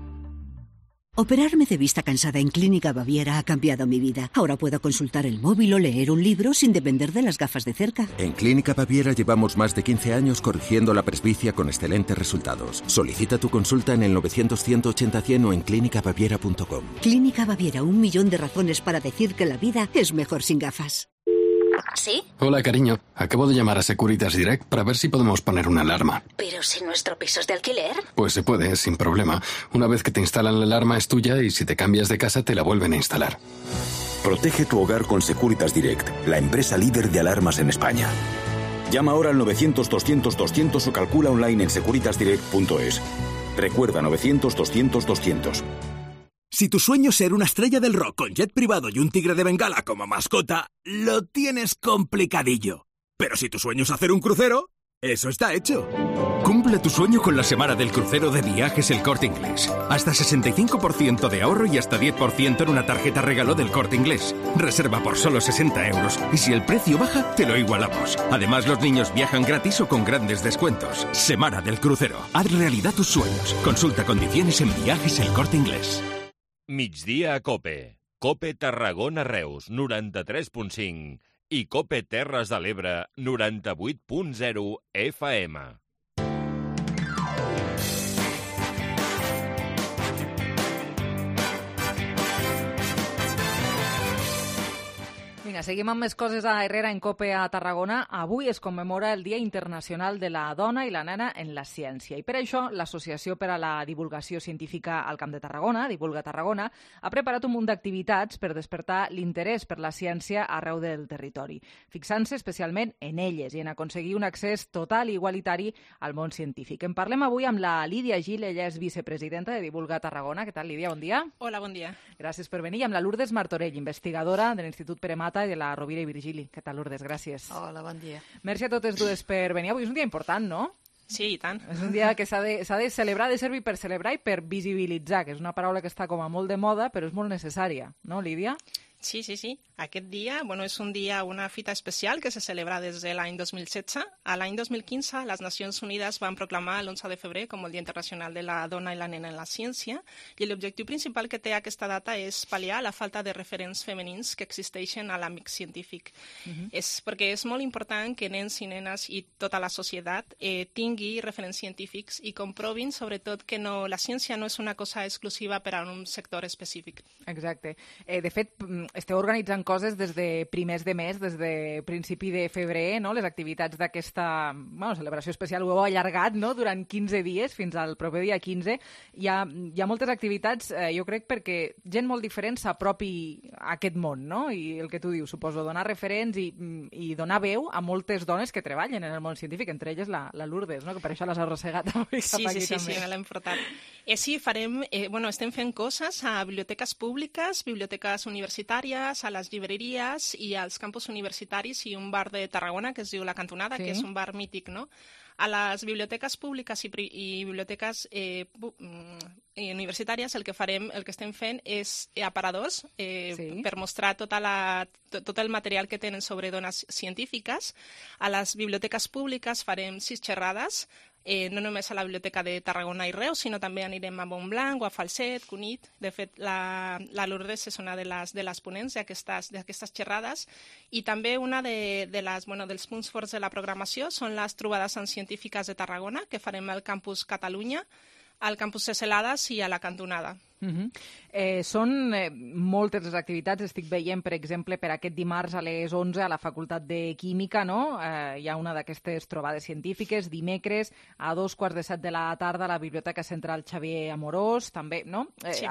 Operarme de vista cansada en Clínica Baviera ha cambiado mi vida. Ahora puedo consultar el móvil o leer un libro sin depender de las gafas de cerca. En Clínica Baviera llevamos más de 15 años corrigiendo la presbicia con excelentes resultados. Solicita tu consulta en el 900-180-100 o en clínicabaviera.com. Clínica Baviera, 1 millón de razones para decir que la vida es mejor sin gafas. ¿Sí? Hola, cariño. Acabo de llamar a Securitas Direct para ver si podemos poner una alarma. ¿Pero si nuestro piso es de alquiler? Pues se puede, sin problema. Una vez que te instalan la alarma es tuya y si te cambias de casa te la vuelven a instalar. Protege tu hogar con Securitas Direct, la empresa líder de alarmas en España. Llama ahora al 900-200-200 o calcula online en securitasdirect.es. Recuerda, 900-200-200. Si tu sueño es ser una estrella del rock con jet privado y un tigre de Bengala como mascota, lo tienes complicadillo. Pero si tu sueño es hacer un crucero, eso está hecho. Cumple tu sueño con la semana del crucero de Viajes El Corte Inglés. Hasta 65% de ahorro y hasta 10% en una tarjeta regalo del Corte Inglés. Reserva por solo 60 euros y si el precio baja, te lo igualamos. Además, los niños viajan gratis o con grandes descuentos. Semana del crucero. Haz realidad tus sueños. Consulta condiciones en Viajes El Corte Inglés. Migdia a Cope. Cope Tarragona Reus, 93.5 i Cope Terres de l'Ebre, 98.0 FM. Vinga, seguim amb més coses a Herrera en Cope a Tarragona. Avui es commemora el Dia Internacional de la Dona i la Nena en la Ciència. I per això l'Associació per a la Divulgació Científica al Camp de Tarragona, Divulga Tarragona, ha preparat un munt d'activitats per despertar l'interès per la ciència arreu del territori, fixant-se especialment en elles i en aconseguir un accés total i igualitari al món científic. En parlem avui amb la Lídia Gil, ella és vicepresidenta de Divulga Tarragona. Què tal, Lídia? Bon dia. Hola, bon dia. Gràcies per venir. I amb la Lourdes Martorell, investigadora de l'Institut Pere Mata i de la Rovira i Virgili. Què tal, Lourdes? Gràcies. Hola, bon dia. Merci a totes dues per venir. Avui és un dia important, no? Sí, i tant. És un dia que s'ha de celebrar, ha de servir per celebrar i per visibilitzar, que és una paraula que està com a molt de moda, però és molt necessària, no, Lídia? Sí. Aquest dia, és un dia, una fita especial que se celebra des de l'any 2016. A l'any 2015, les Nacions Unides van proclamar l'11 de febrer com el Dia Internacional de la Dona i la Nena en la Ciència, i l'objectiu principal que té aquesta data és pal·liar la falta de referents femenins que existeixen a l'àmbit científic. Perquè és molt important que nens i nenes i tota la societat tingui referents científics i comprovin, sobretot, que la ciència no és una cosa exclusiva per a un sector específic. Exacte. De fet, esteu organitzant coses des de primers de mes, des de principi de febrer, no? Les activitats d'aquesta celebració especial ho heu allargat, no? Durant 15 dies, fins al proper dia 15. Hi ha moltes activitats, jo crec, perquè gent molt diferent s'apropi a aquest món, no? I el que tu dius, suposo, donar referents i donar veu a moltes dones que treballen en el món científic, entre elles la Lourdes, no? Que per això les has arrossegat avui cap aquí també. Sí, me l'hem portat. Sí, estem fent coses a biblioteques públiques, biblioteques universitàries, a les llibreries i als campus universitaris i un bar de Tarragona que es diu La Cantonada, que és un bar mític, no? A les biblioteques públiques i biblioteques universitàries el que estem fent és aparadors per mostrar tot el material que tenen sobre dones científiques. A les biblioteques públiques farem 6 xerrades, no només a la Biblioteca de Tarragona i Reus, sinó també anirem a Montblanc o a Falset, Cunit. De fet, la Lourdes és una de les ponents d'aquestes xerrades. I també una dels punts forts de la programació són les trobades en científiques de Tarragona, que farem al campus Catalunya, al campus de Celades i a la Cantonada. Són moltes les activitats. Estic veient, per exemple, per aquest dimarts a les 11 a la Facultat de Química, no? Hi ha una d'aquestes trobades científiques. Dimecres a 2:15 de la tarda a la Biblioteca Central Xavier Amorós, també, no? Sí.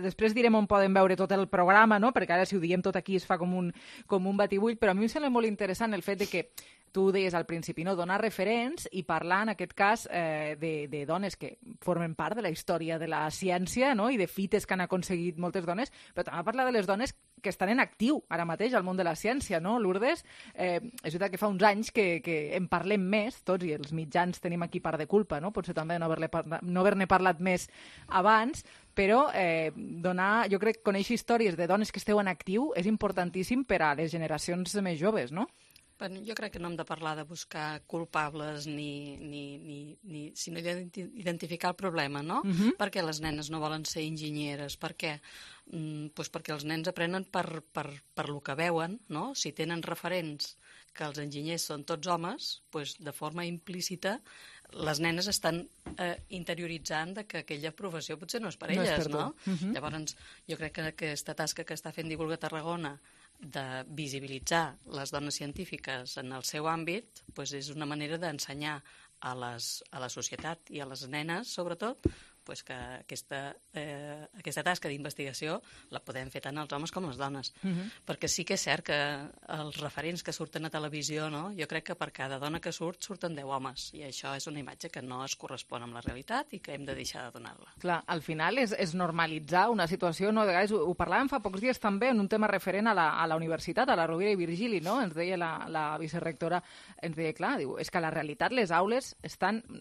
Després direm on poden veure tot el programa, no? Perquè ara si ho diem tot aquí es fa com un batibull, però a mi em sembla molt interessant el fet de que tu deies al principi, no? Donar referents i parlar, en aquest cas, de dones que formen part de la història de la ciència, no? I de fites que han aconseguit moltes dones, però també parlar de les dones que estan en actiu ara mateix al món de la ciència, no, Lourdes? És veritat que fa uns anys que en parlem més, tots, i els mitjans tenim aquí part de culpa, no? Potser també no haver-ne parlat més abans, però jo crec que conèixer històries de dones que esteu en actiu és importantíssim per a les generacions més joves, no? Jo crec que no hem de parlar de buscar culpables sinó d'identificar el problema, no? Per què les nenes no volen ser enginyeres? Per què? Perquè els nens aprenen per lo que veuen, no? Si tenen referents que els enginyers són tots homes, de forma implícita les nenes estan interioritzant que aquella professió potser no és per elles, no? Llavors, jo crec que aquesta tasca que està fent Divulga Tarragona de visibilitzar les dones científiques en el seu àmbit és una manera d'ensenyar a la societat i a les nenes, sobretot, que aquesta tasca d'investigació la podem fer tant els homes com les dones. Perquè sí que és cert que els referents que surten a televisió, jo crec que per cada dona que surten 10 homes, i això és una imatge que no es correspon amb la realitat i que hem de deixar de donar-la. Clar, al final és normalitzar una situació, no? De vegades ho parlàvem fa pocs dies també en un tema referent a la universitat, a la Rovira i Virgili, no? Ens deia la vicerectora, ens deia, clar, és que a la realitat les aules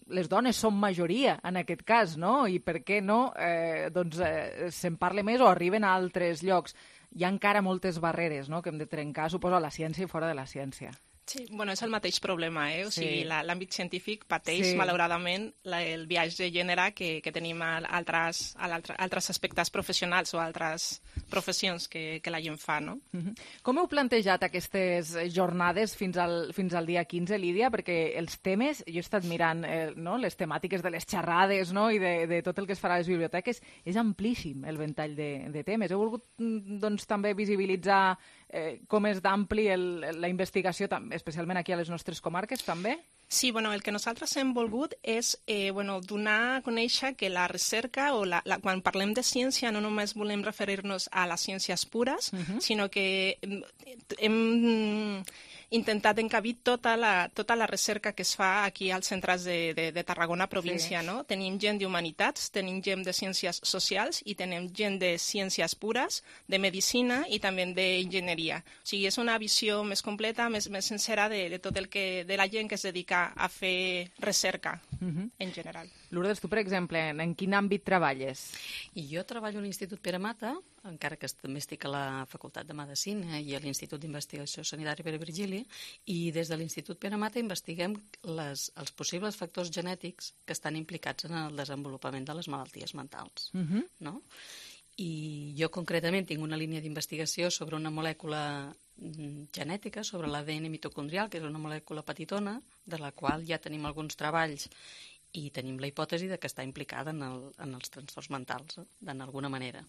les dones són majoria en aquest cas, no? I per què no se'n parla més o arriben a altres llocs. Hi ha encara moltes barreres, no?, que hem de trencar, suposo, a la ciència i fora de la ciència. Sí, és el mateix problema, O sigui, l'àmbit científic pateix, malauradament, el biaix de gènere que tenim a altres aspectes professionals o altres professions que la gent fa, no? Com heu plantejat aquestes jornades fins al dia 15, Lídia? Perquè els temes, jo he estat mirant les temàtiques de les xerrades i de tot el que es farà a les biblioteques, és amplíssim el ventall de temes. Heu volgut també visibilitzar com és d'ampli la investigació, especialment aquí a les nostres comarques, també? Sí, el que nosaltres hem volgut és donar a conèixer que la recerca, quan parlem de ciència, no només volem referir-nos a les ciències pures, sinó que hem intentat encabir tota la recerca que es fa aquí als centres de Tarragona província, no? Tenim gent d'humanitats, tenim gent de ciències socials i tenim gent de ciències pures, de medicina i també d'enginyeria. O sigui, és una visió més completa, més sincera de tot de la gent que es dedica a fer recerca en general. Lourdes, tu, per exemple, en quin àmbit treballes? Jo treballo a l'Institut Pere Mata, encara que també estic a la Facultat de Medicina i a l'Institut d'Investigació Sanitària Pere Virgili, i des de l'Institut Pere Mata investiguem els possibles factors genètics que estan implicats en el desenvolupament de les malalties mentals. No? I jo concretament tinc una línia d'investigació sobre una molècula genètica, sobre l'ADN mitocondrial, que és una molècula petitona, de la qual ja tenim alguns treballs i tenim la hipòtesi de que està implicada en els trastorns mentals, d'alguna manera.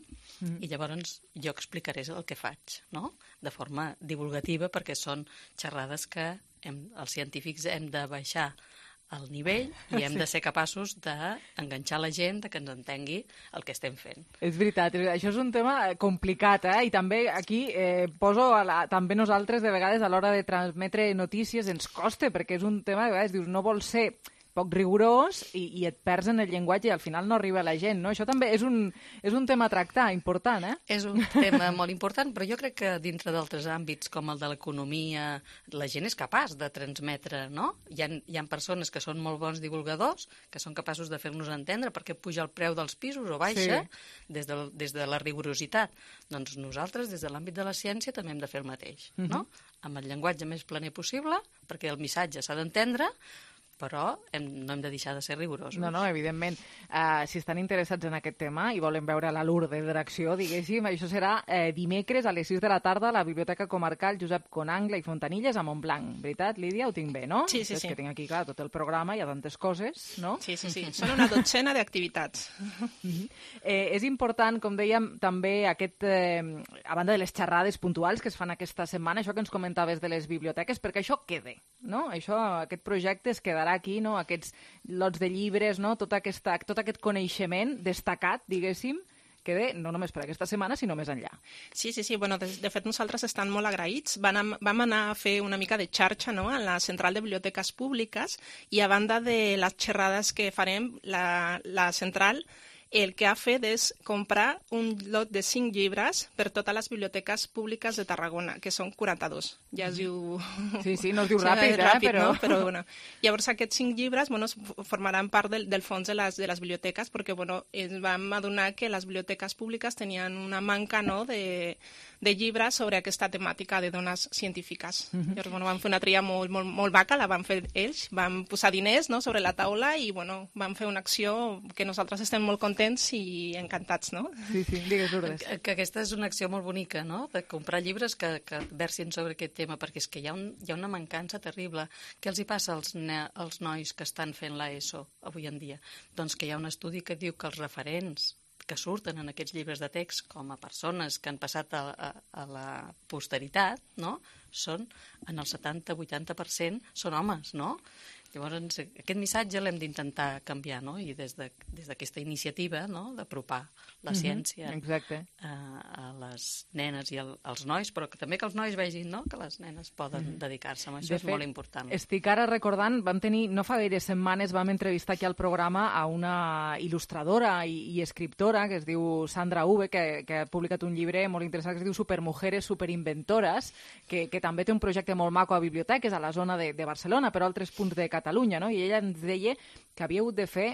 I llavors jo explicaré el que faig, no? De forma divulgativa, perquè són xerrades que els científics hem de baixar al nivell i hem de ser capaços d'enganxar la gent, que ens entengui el que estem fent. És veritat, això és un tema complicat, i també aquí poso també nosaltres de vegades a l'hora de transmetre notícies ens costa, perquè és un tema, de vegades dius, no vol ser poc rigorós i et perds en el llenguatge i al final no arriba a la gent, no? Això també és un tema a tractar, important, És un tema molt important, però jo crec que dintre d'altres àmbits, com el de l'economia, la gent és capaç de transmetre, no? Hi ha persones que són molt bons divulgadors, que són capaços de fer-nos entendre per què puja el preu dels pisos o baixa, des de la rigorositat. Doncs nosaltres, des de l'àmbit de la ciència, també hem de fer el mateix, no? Amb el llenguatge més planer possible, perquè el missatge s'ha d'entendre, però no hem de deixar de ser rigorosos. No, evidentment. Si estan interessats en aquest tema i volen veure la Lourdes d'acció, diguéssim, això serà dimecres a les 6 de la tarda a la Biblioteca Comarcal Josep Conangla i Fontanilles a Montblanc. Veritat, Lídia? Ho tinc bé, no? Sí. És que tinc aquí, clar, tot el programa, hi ha tantes coses, no? Sí. Són una dotzena d'activitats. És important, com dèiem, també a banda de les xerrades puntuals que es fan aquesta setmana, això que ens comentaves de les biblioteques, perquè això queda, no? Aquest projecte es quedarà aquí, no? Aquests lots de llibres, no? Tot aquest coneixement destacat, diguéssim, queda no només per aquesta setmana, sinó més enllà. Sí. Bueno, de fet, nosaltres estem molt agraïts. Vam anar a fer una mica de xarxa, no?, en la Central de Biblioteques Públiques i a banda de les xerrades que farem, la Central el que ha fet és comprar un lot de 5 llibres per totes les biblioteques públiques de Tarragona, que són 42. Ja es diu... Sí, no es diu ràpid, però... No? Però bueno. Llavors aquests 5 llibres formaran part del fons de les biblioteques, perquè ens vam adonar que les biblioteques públiques tenien una manca, no?, de llibres sobre aquesta temàtica de dones científiques. Llavors vam fer una tria molt vaca, la van fer ells, vam posar diners, no?, sobre la taula i vam fer una acció que nosaltres estem molt contents i encantats, no? Sí, digues, Lourdes. Que aquesta és una acció molt bonica, no?, de comprar llibres que versin sobre aquest tema, perquè és que hi ha una mancança terrible. Què els hi passa als nois que estan fent l'ESO avui en dia? Doncs que hi ha un estudi que diu que els referents que surten en aquests llibres de text com a persones que han passat a la posteritat, no?, són, en el 70-80% són homes, no? Llavors, aquest missatge l'hem d'intentar canviar, no?, i des d'aquesta iniciativa, no?, d'apropar la ciència a les nenes i als nois, però també que els nois vegin, no?, que les nenes poden dedicar-se a això, és molt important. Estic ara recordant, vam tenir, no fa gaire setmanes, vam entrevistar aquí al programa a una il·lustradora i escriptora que es diu Sandra Uve, que ha publicat un llibre molt interessant que es diu Supermujeres superinventores, que també té un projecte molt maco a biblioteques a la zona de Barcelona, però a altres punts de Catalunya, no? I ella ens deia que havia hagut de fer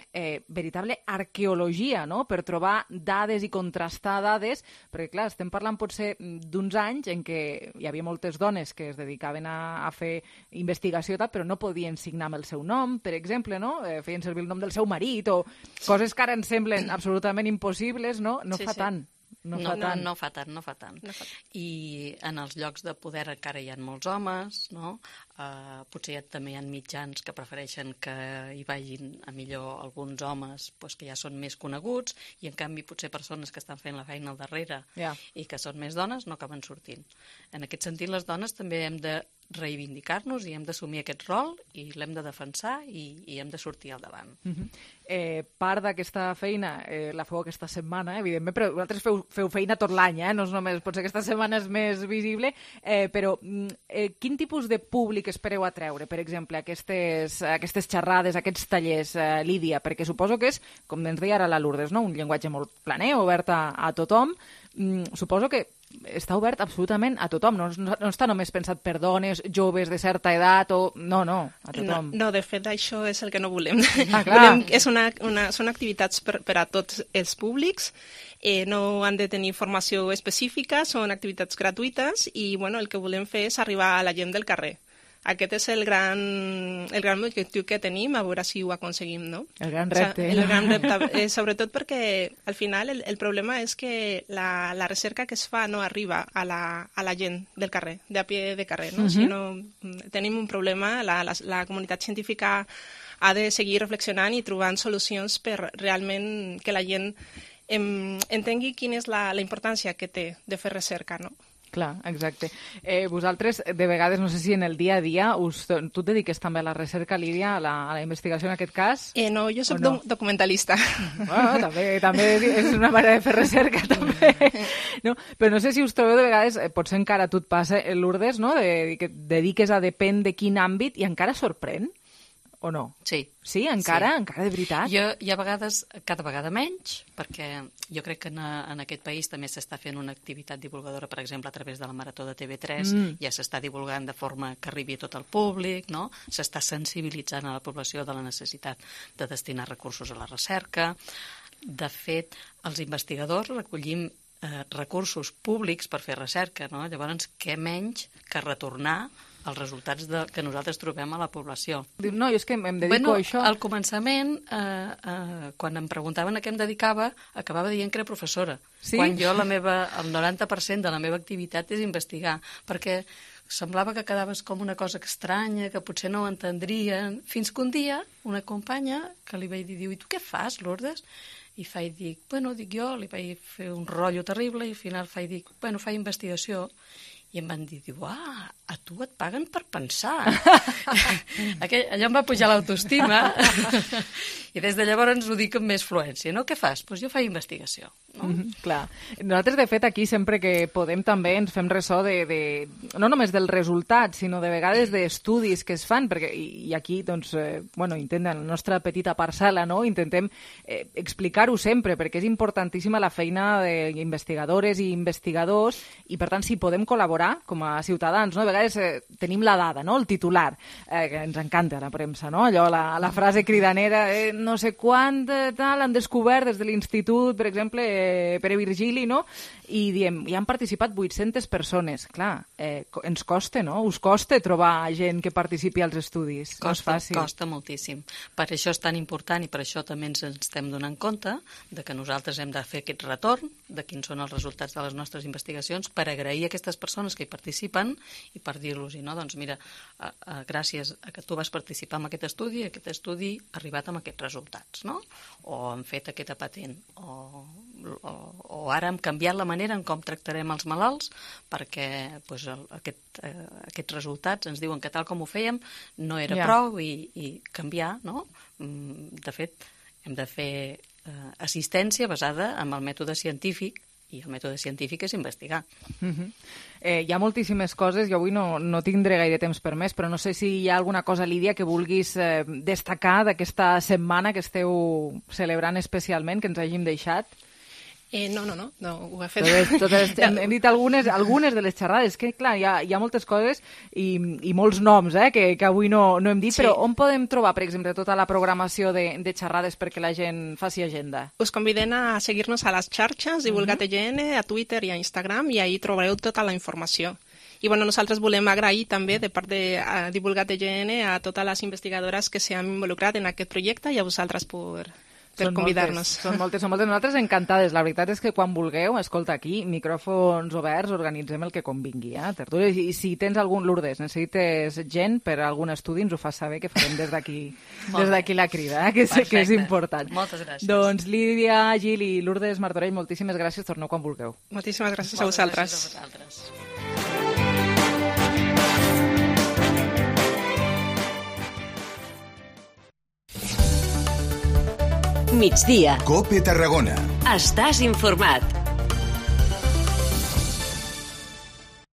veritable arqueologia, no?, per trobar dades i contrastar dades, perquè, clar, estem parlant potser d'uns anys en què hi havia moltes dones que es dedicaven a fer investigació, però no podien signar amb el seu nom, per exemple, no? Feien servir el nom del seu marit o coses que ara ens semblen absolutament impossibles, no? No fa tant. No fa tant. I en els llocs de poder encara hi ha molts homes, no? Potser també hi ha mitjans que prefereixen que hi vagin a millor alguns homes que ja són més coneguts i en canvi potser persones que estan fent la feina al darrere i que són més dones no acaben sortint. En aquest sentit, les dones també hem de reivindicar-nos i hem d'assumir aquest rol i l'hem de defensar i hem de sortir al davant. Part d'aquesta feina la feu aquesta setmana, evidentment, però vosaltres feu feina tot l'any, no és només, potser aquesta setmana és més visible, però quin tipus de públic espereu atreure, per exemple, aquestes xerrades, aquests tallers, Lídia? Perquè suposo que és, com ens deia ara la Lourdes, no? Un llenguatge molt planer, obert a tothom. Suposo que està obert absolutament a tothom, no està només pensat per dones, joves de certa edat, o... No, a tothom. No, de fet, això és el que no volem. Clar. Són activitats per a tots els públics, no han de tenir formació específica, són activitats gratuïtes i el que volem fer és arribar a la gent del carrer. Aquest és el gran objectiu que tenim, a veure si ho aconseguim, no? El gran repte. El gran repte, sobretot perquè al final el problema és que la recerca que es fa no arriba a la gent del carrer, de a pie de carrer, no? Si no, tenim un problema, la comunitat científica ha de seguir reflexionant i trobant solucions per realment que la gent entengui quina és la importància que té de fer recerca, no? Clar, exacte. Vosaltres, de vegades, no sé si en el dia a dia, tu et dediques també a la recerca, Lídia, a la investigació en aquest cas? No, jo soc documentalista. Bueno, també és una manera de fer recerca, també. No? Però no sé si us trobeu de vegades, potser encara a tu et passa, Lourdes, no? Que et dediques a depèn de quin àmbit i encara sorprèn? O no? Sí. Sí, encara? Sí. Encara de veritat? Hi ha vegades, cada vegada menys, perquè jo crec que en aquest país també s'està fent una activitat divulgadora, per exemple, a través de la Marató de TV3, ja s'està divulgant de forma que arribi a tot el públic, no? S'està sensibilitzant a la població de la necessitat de destinar recursos a la recerca. De fet, els investigadors recollim recursos públics per fer recerca, no? Llavors, què menys que retornar els resultats que nosaltres trobem a la població. No, jo és que em dedico a això. Al començament, quan em preguntaven a què em dedicava, acabava dient que era professora. Sí? Quan jo el 90% de la meva activitat és investigar, perquè semblava que quedaves com una cosa estranya, que potser no ho entendrien, fins que un dia una companya que li vaig dir, diu, i tu què fas, Lourdes? I dic, jo li vaig fer un rotllo terrible i al final dic, faig investigació. I em van dir, a tu et paguen per pensar. Allò em va pujar l'autoestima i des de llavors ho dic amb més fluència, no? Què fas? Doncs jo faig investigació. No? Clar. Nosaltres, de fet, aquí sempre que podem també ens fem ressò no només del resultat, sinó de vegades d'estudis que es fan, perquè, i aquí, doncs, intentem, la nostra petita parcel·la, no? Intentem explicar-ho sempre, perquè és importantíssima la feina d'investigadores i investigadors, i per tant, si podem col·laborar com a ciutadans, no? A vegades tenim la dada, no? El titular, que ens encanta a la premsa, no? Allò, la frase cridanera, no sé quant tal han descobert des de l'institut, per exemple, Pere Virgili, no? I diem, hi han participat 800 persones. Clar, ens costa, no? Us costa trobar gent que participi als estudis. Costa moltíssim. Per això és tan important i per això també ens estem donant compte de que nosaltres hem de fer aquest retorn de quins són els resultats de les nostres investigacions per agrair a aquestes persones que hi participen i per dir-los, no, doncs mira, gràcies a que tu vas participar en aquest estudi ha arribat amb aquests resultats, no? O hem fet aquesta patent, o ara hem canviat la manera en com tractarem els malalts perquè aquests resultats ens diuen que tal com ho fèiem no era prou i canviar, no? De fet, hem de fer assistència basada en el mètode científic i el mètode científic és investigar. Hi ha moltíssimes coses, jo avui no tindré gaire temps per més, però no sé si hi ha alguna cosa, Lídia, que vulguis destacar d'aquesta setmana que esteu celebrant especialment, que ens hàgim deixat. No, ho he fet. Hem dit algunes de les xerrades, que clar, hi ha moltes coses i molts noms que avui no hem dit, però on podem trobar, per exemple, tota la programació de xerrades perquè la gent faci agenda? Us convidem a seguir-nos a les xarxes, Divulgat EGN, a Twitter i a Instagram, i ahí trobareu tota la informació. I nosaltres volem agrair també de part de Divulgat EGN a totes les investigadores que s'han involucrat en aquest projecte i a vosaltres per convidar-nos. Són moltes. Nosaltres encantades. La veritat és que quan vulgueu, escolta, aquí, micròfons oberts, organitzem el que convingui. Tertúlies. I si tens algun, Lourdes, necessites gent per a algun estudi, ens ho fas saber, que farem des d'aquí la crida, que sé que és important. Moltes gràcies. Doncs Lídia, Gil i Lourdes Martorell, moltíssimes gràcies. Torneu quan vulgueu. Moltíssimes gràcies a vosaltres. Gràcies a vosaltres. Migdia. COPE Tarragona. Estàs informat.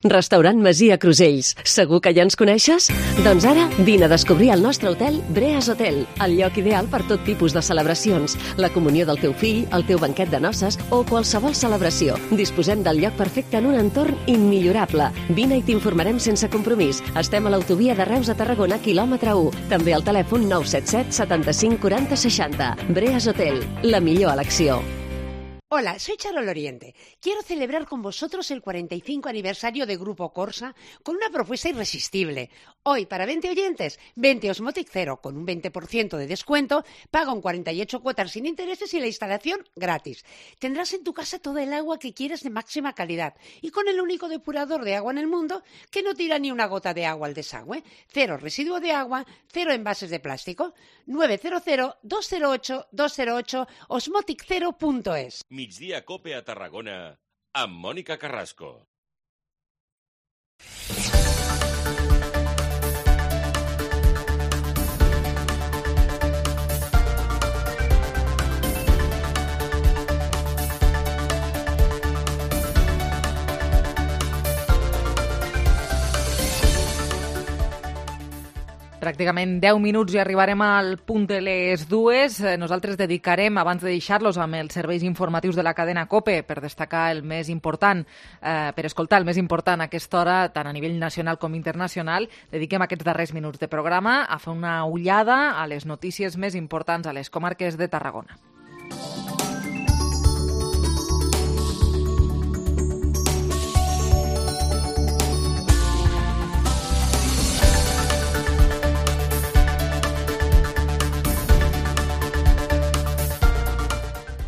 Restaurant Masia Crusells. Segur que ja ens coneixes? Doncs ara vine a descobrir el nostre hotel Breas Hotel, el lloc ideal per tot tipus de celebracions, la comunió del teu fill, el teu banquet de noces o qualsevol celebració. Disposem del lloc perfecte en un entorn immillorable. Vine i t'informarem sense compromís. Estem a l'autovia de Reus a Tarragona, quilòmetre 1. També al telèfon 977 75 40 60. Breas Hotel, la millor elecció. Hola, soy Charol Oriente. Quiero celebrar con vosotros el 45 aniversario de Grupo Corsa con una propuesta irresistible. Hoy, para 20 oyentes, 20 Osmotic Zero con un 20% de descuento, paga un 48 cuotas sin intereses y la instalación gratis. Tendrás en tu casa toda el agua que quieres de máxima calidad y con el único depurador de agua en el mundo que no tira ni una gota de agua al desagüe. Cero residuo de agua, cero envases de plástico. 900-208-208 osmoticzero.es. Migdia Cope a Tarragona amb Mònica Carrasco. Pràcticament 10 minuts i arribarem al punt de les 2. Nosaltres dedicarem, abans de deixar-los amb els serveis informatius de la cadena COPE, per destacar el més important, per escoltar el més important a aquesta hora, tant a nivell nacional com internacional, dediquem aquests darrers minuts de programa a fer una ullada a les notícies més importants a les comarques de Tarragona.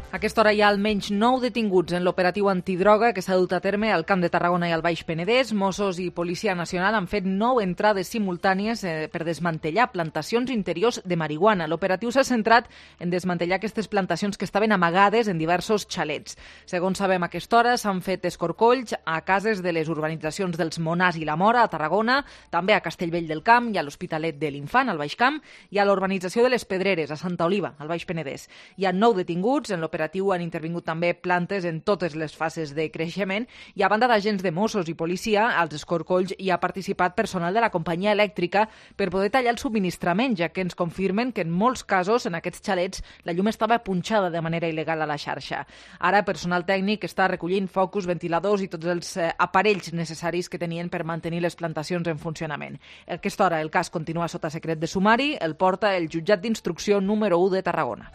A aquesta hora hi ha almenys 9 detinguts en l'operatiu antidroga que s'ha dut a terme al Camp de Tarragona i al Baix Penedès. Mossos i Policia Nacional han fet 9 entrades simultànies per desmantellar plantacions interiors de marihuana. L'operatiu s'ha centrat en desmantellar aquestes plantacions que estaven amagades en diversos xalets. Segons sabem a aquesta hora, s'han fet escorcolls a cases de les urbanitzacions dels Monars i la Mora, a Tarragona, també a Castellvell del Camp i a l'Hospitalet de l'Infant, al Baix Camp, i a l'urbanització de les Pedreres, a Santa Oliva, al Baix Penedès. Hi ha 9 detinguts en l'operatiu. Han intervingut també plantes en totes les fases de creixement i a banda d'agents de Mossos i policia, als escorcolls hi ha participat personal de la companyia elèctrica per poder tallar el subministrament, ja que ens confirmen que en molts casos en aquests xalets la llum estava punxada de manera il·legal a la xarxa. Ara personal tècnic està recollint focus, ventiladors i tots els aparells necessaris que tenien per mantenir les plantacions en funcionament. A aquesta hora el cas continua sota secret de sumari, el porta el jutjat d'instrucció número 1 de Tarragona.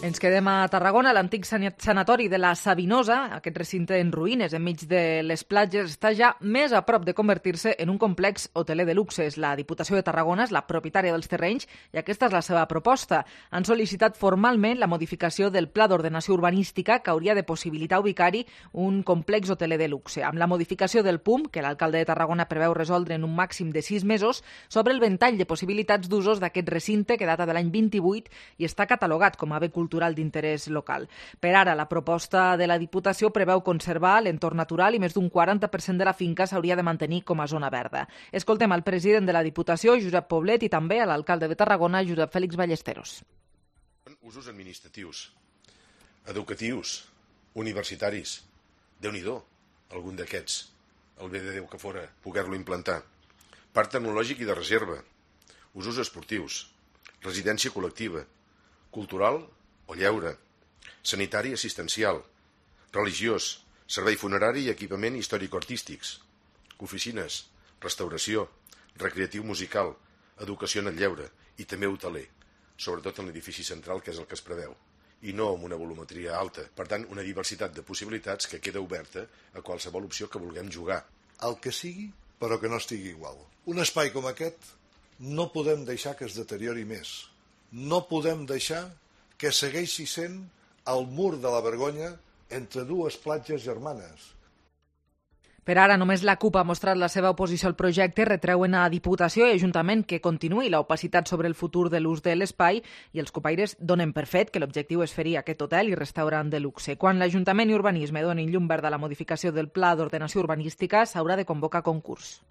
Ens quedem a Tarragona. L'antic sanatori de la Sabinosa, aquest recinte en ruïnes enmig de les platges, està ja més a prop de convertir-se en un complex hoteler de luxe. La Diputació de Tarragona és la propietària dels terrenys i aquesta és la seva proposta. Han sol·licitat formalment la modificació del Pla d'Ordenació Urbanística que hauria de possibilitar ubicar-hi un complex hoteler de luxe. Amb la modificació del PUM, que l'alcalde de Tarragona preveu resoldre en un màxim de 6 mesos, s'obre el ventall de possibilitats d'usos d'aquest recinte que data de l'any 28 i està catalogat com a bé cultural d'interès local. Per ara, la proposta de la Diputació preveu conservar l'entorn natural i més d'un 40% de la finca s'hauria de mantenir com a zona verda. Escoltem al president de la Diputació, Josep Poblet, i també a l'alcalde de Tarragona, Josep Fèlix Ballesteros. Usos administratius, educatius, universitaris. Déu-n'hi-do, algun d'aquests. El bé de Déu que fora poder-lo implantar. Parc tecnològic i de reserva. Usos esportius. Residència col·lectiva. Cultural o lleure, sanitari assistencial, religiós, servei funerari i equipament històrico-artístics, oficines, restauració, recreatiu musical, educació en el lleure i també hoteler, sobretot en l'edifici central, que és el que es preveu, i no amb una volumetria alta. Per tant, una diversitat de possibilitats que queda oberta a qualsevol opció que vulguem jugar. El que sigui, però que no estigui igual. Un espai com aquest no podem deixar que es deteriori més. No podem deixar que segueixi sent el mur de la vergonya entre dues platges germanes. Per ara, només la CUP ha mostrat la seva oposició al projecte, retreuen a Diputació i Ajuntament que continuï l'opacitat sobre el futur de l'ús de l'espai i els copaires donen per fet que l'objectiu és fer-hi aquest hotel i restaurant de luxe. Quan l'Ajuntament i Urbanisme donin llum verda a la modificació del Pla d'Ordenació Urbanística, s'haurà de convocar concurs.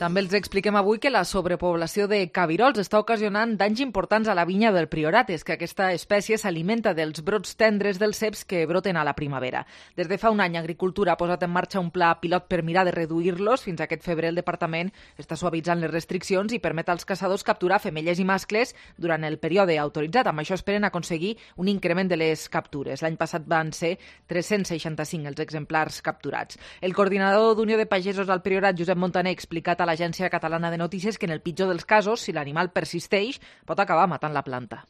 També els expliquem avui que la sobrepoblació de cabirols està ocasionant danys importants a la vinya del Priorat. És que aquesta espècie s'alimenta dels brots tendres dels ceps que broten a la primavera. Des de fa un any, Agricultura ha posat en marxa un pla pilot per mirar de reduir-los. Fins aquest febrer el departament està suavitzant les restriccions i permet als caçadors capturar femelles i mascles durant el període autoritzat. Amb això esperen aconseguir un increment de les captures. L'any passat van ser 365 els exemplars capturats. El coordinador d'Unió de Pagesos al Priorat, Josep Montaner, ha explicat a l'Agència Catalana de Notícies que en el pitjor dels casos, si l'animal persisteix, pot acabar matant la planta.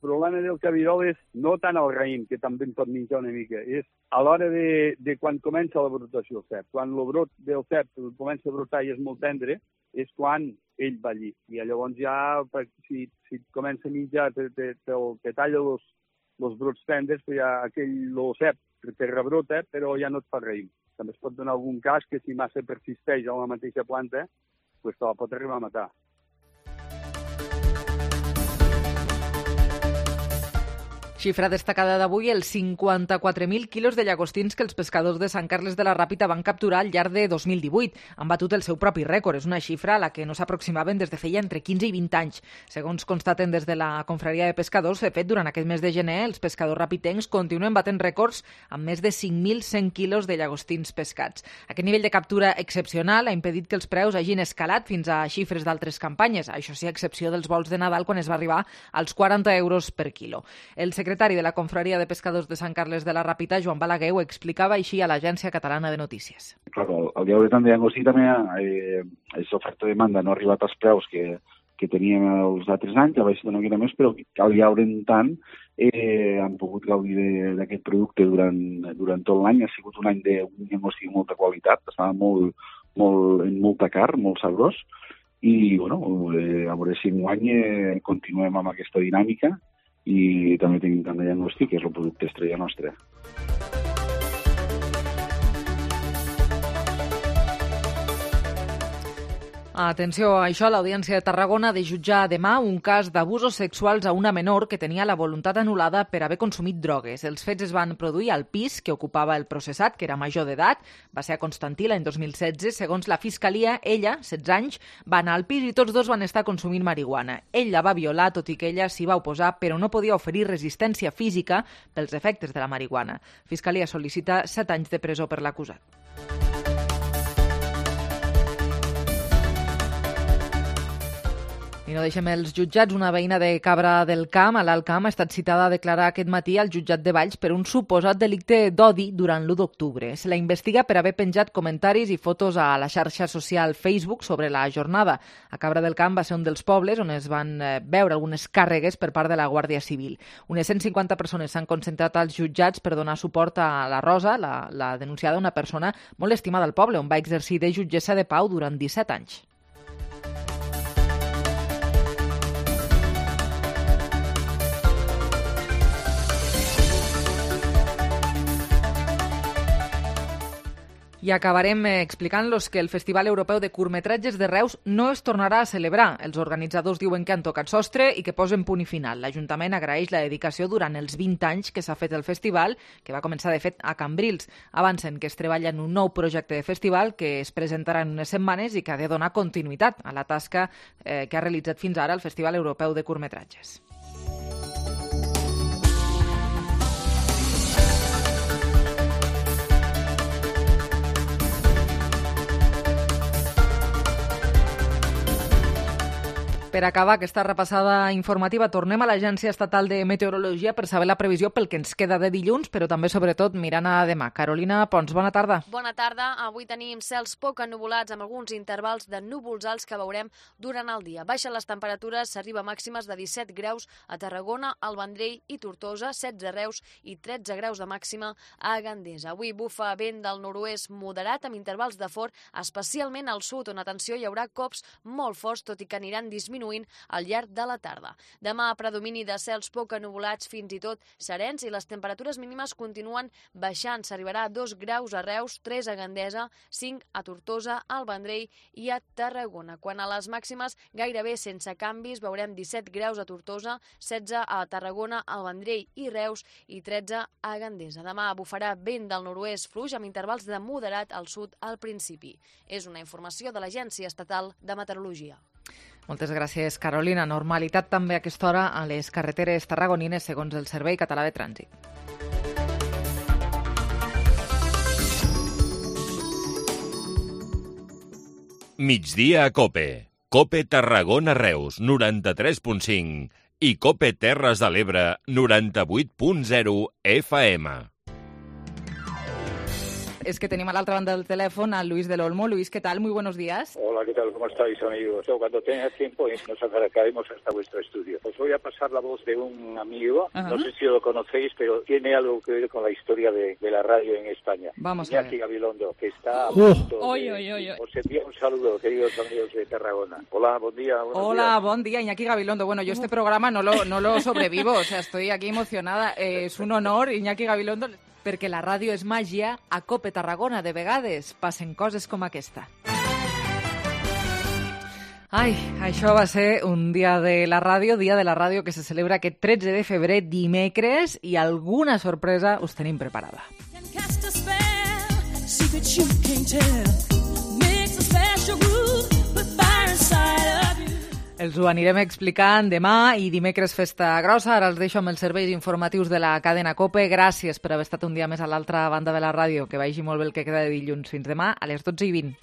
El problema del cabirol és no tant el raïm, que també en pot menjar una mica, és a l'hora de quan comença la brotació del cep. Quan el brot del cep comença a brotar i és molt tendre, és quan ell va allí. I llavors ja, si comença a menjar, te talla els brots tendres, ja aquell cep te rebrota, però ja no et fa raïm. També es pot donar algun cas que si massa persisteix a la mateixa planta, te la pot arribar a matar. Xifra destacada d'avui, els 54.000 quilos de llagostins que els pescadors de Sant Carles de la Ràpita van capturar al llarg de 2018. Han batut el seu propi rècord. És una xifra a la que no s'aproximaven des de feia entre 15 i 20 anys. Segons constaten des de la Confraria de Pescadors, de fet, durant aquest mes de gener, els pescadors rapitencs continuen batent rècords amb més de 5.100 quilos de llagostins pescats. Aquest nivell de captura excepcional ha impedit que els preus hagin escalat fins a xifres d'altres campanyes. Això sí, a excepció dels vols de Nadal, quan es va arribar als 40 euros per quilo. El secretari de la Confraria de Pescadors de Sant Carles de la Ràpita, Joan Balaguer, ho explicava així a l'Agència Catalana de Notícies. Claro, el lleure tant de llagostí també és oferta-demanda, no ha arribat als preus que teníem els altres anys, ha baixat una mica més, però al lleure en tant han pogut gaudir d'aquest producte durant tot l'any. Ha sigut un any d'un llagostí de molta qualitat, estava en molta carn, molt sabrós, i bueno, a veure si enguany continuem amb aquesta dinàmica i també tenim tant de llagostí, que és el producte estrella nostre. Atenció a això, l'Audiència de Tarragona ha de jutjar demà un cas d'abusos sexuals a una menor que tenia la voluntat anul·lada per haver consumit drogues. Els fets es van produir al pis que ocupava el processat, que era major d'edat. Va ser a Constantí l'any 2016. Segons la Fiscalia, ella, 16 anys, va anar al pis i tots dos van estar consumint marihuana. Ell la va violar, tot i que ella s'hi va oposar, però no podia oferir resistència física pels efectes de la marihuana. Fiscalia sol·licita 7 anys de presó per l'acusat. I no deixem els jutjats. Una veïna de Cabra del Camp, a l'Alt Camp, ha estat citada a declarar aquest matí al jutjat de Valls per un suposat delicte d'odi durant l'1 d'octubre. Se la investiga per haver penjat comentaris i fotos a la xarxa social Facebook sobre la jornada. A Cabra del Camp va ser un dels pobles on es van veure algunes càrregues per part de la Guàrdia Civil. Unes 150 persones s'han concentrat als jutjats per donar suport a la Rosa, la denunciada, una persona molt estimada al poble, on va exercir de jutgessa de pau durant 17 anys. I acabarem explicant-los que el Festival Europeu de Curtmetratges de Reus no es tornarà a celebrar. Els organitzadors diuen que han tocat sostre i que posen punt i final. L'Ajuntament agraeix la dedicació durant els 20 anys que s'ha fet el festival, que va començar, de fet, a Cambrils. Avancen que es treballa en un nou projecte de festival que es presentarà en unes setmanes i que ha de donar continuïtat a la tasca que ha realitzat fins ara el Festival Europeu de Curtmetratges. Per acabar aquesta repassada informativa, tornem a l'Agència Estatal de Meteorologia per saber la previsió pel que ens queda de dilluns, però també, sobretot, mirant a demà. Carolina Pons, bona tarda. Bona tarda. Avui tenim cels poc ennuvolats amb alguns intervals de núvols alts que veurem durant el dia. Baixen les temperatures, s'arriba a màximes de 17 graus a Tarragona, al Vendrell i Tortosa, 16 a Reus i 13 graus de màxima a Gandesa. Avui bufa vent del nord-oest moderat amb intervals de fort, especialment al sud, on, atenció, hi haurà cops molt forts, tot i que aniran disminuint disminuint al llarg de la tarda. Demà, predomini de cels poc ennuvolats, fins i tot serens, i les temperatures mínimes continuen baixant. S'arribarà a 2 graus a Reus, 3 a Gandesa, 5 a Tortosa, al Vendrell i a Tarragona. Quan a les màximes, gairebé sense canvis, veurem 17 graus a Tortosa, 16 a Tarragona, al Vendrell i Reus i 13 a Gandesa. Demà bufarà vent del nord-oest fluix amb intervals de moderat al sud al principi. És una informació de l'Agència Estatal de Meteorologia. Moltes gràcies, Carolina. Normalitat també a aquesta hora a les carreteres tarragonines, segons el Servei Català de Trànsit. Migdia a COPE. COPE Tarragona Reus, 93.5 i COPE Terres de l'Ebre, 98.0 FM. Es que tenemos a la otra banda del teléfono a Luis del Olmo. Luis, ¿qué tal? Muy buenos días. Hola, ¿qué tal? ¿Cómo estáis, amigos? Cuando tengas tiempo nos acercaremos hasta vuestro estudio. Os voy a pasar la voz de un amigo, no sé si lo conocéis, pero tiene algo que ver con la historia de la radio en España. Vamos a ver. Iñaki Gabilondo, que está a punto de... Os envío un saludo, queridos amigos de Tarragona. Hola, buen día. Hola, buen día, Iñaki Gabilondo. Bueno, yo este programa no lo sobrevivo, o sea, estoy aquí emocionada. Es un honor, Iñaki Gabilondo, perquè la ràdio és màgia, a COPE Tarragona de vegades passen coses com aquesta. Ai, això va ser un dia de la ràdio que se celebra aquest 13 de febrer, dimecres, i alguna sorpresa us tenim preparada. Els ho anirem explicant demà i dimecres festa grossa. Ara els deixo amb els serveis informatius de la cadena COPE. Gràcies per haver estat un dia més a l'altra banda de la ràdio. Que vagi molt bé el que queda de dilluns. Fins demà a les 12:20.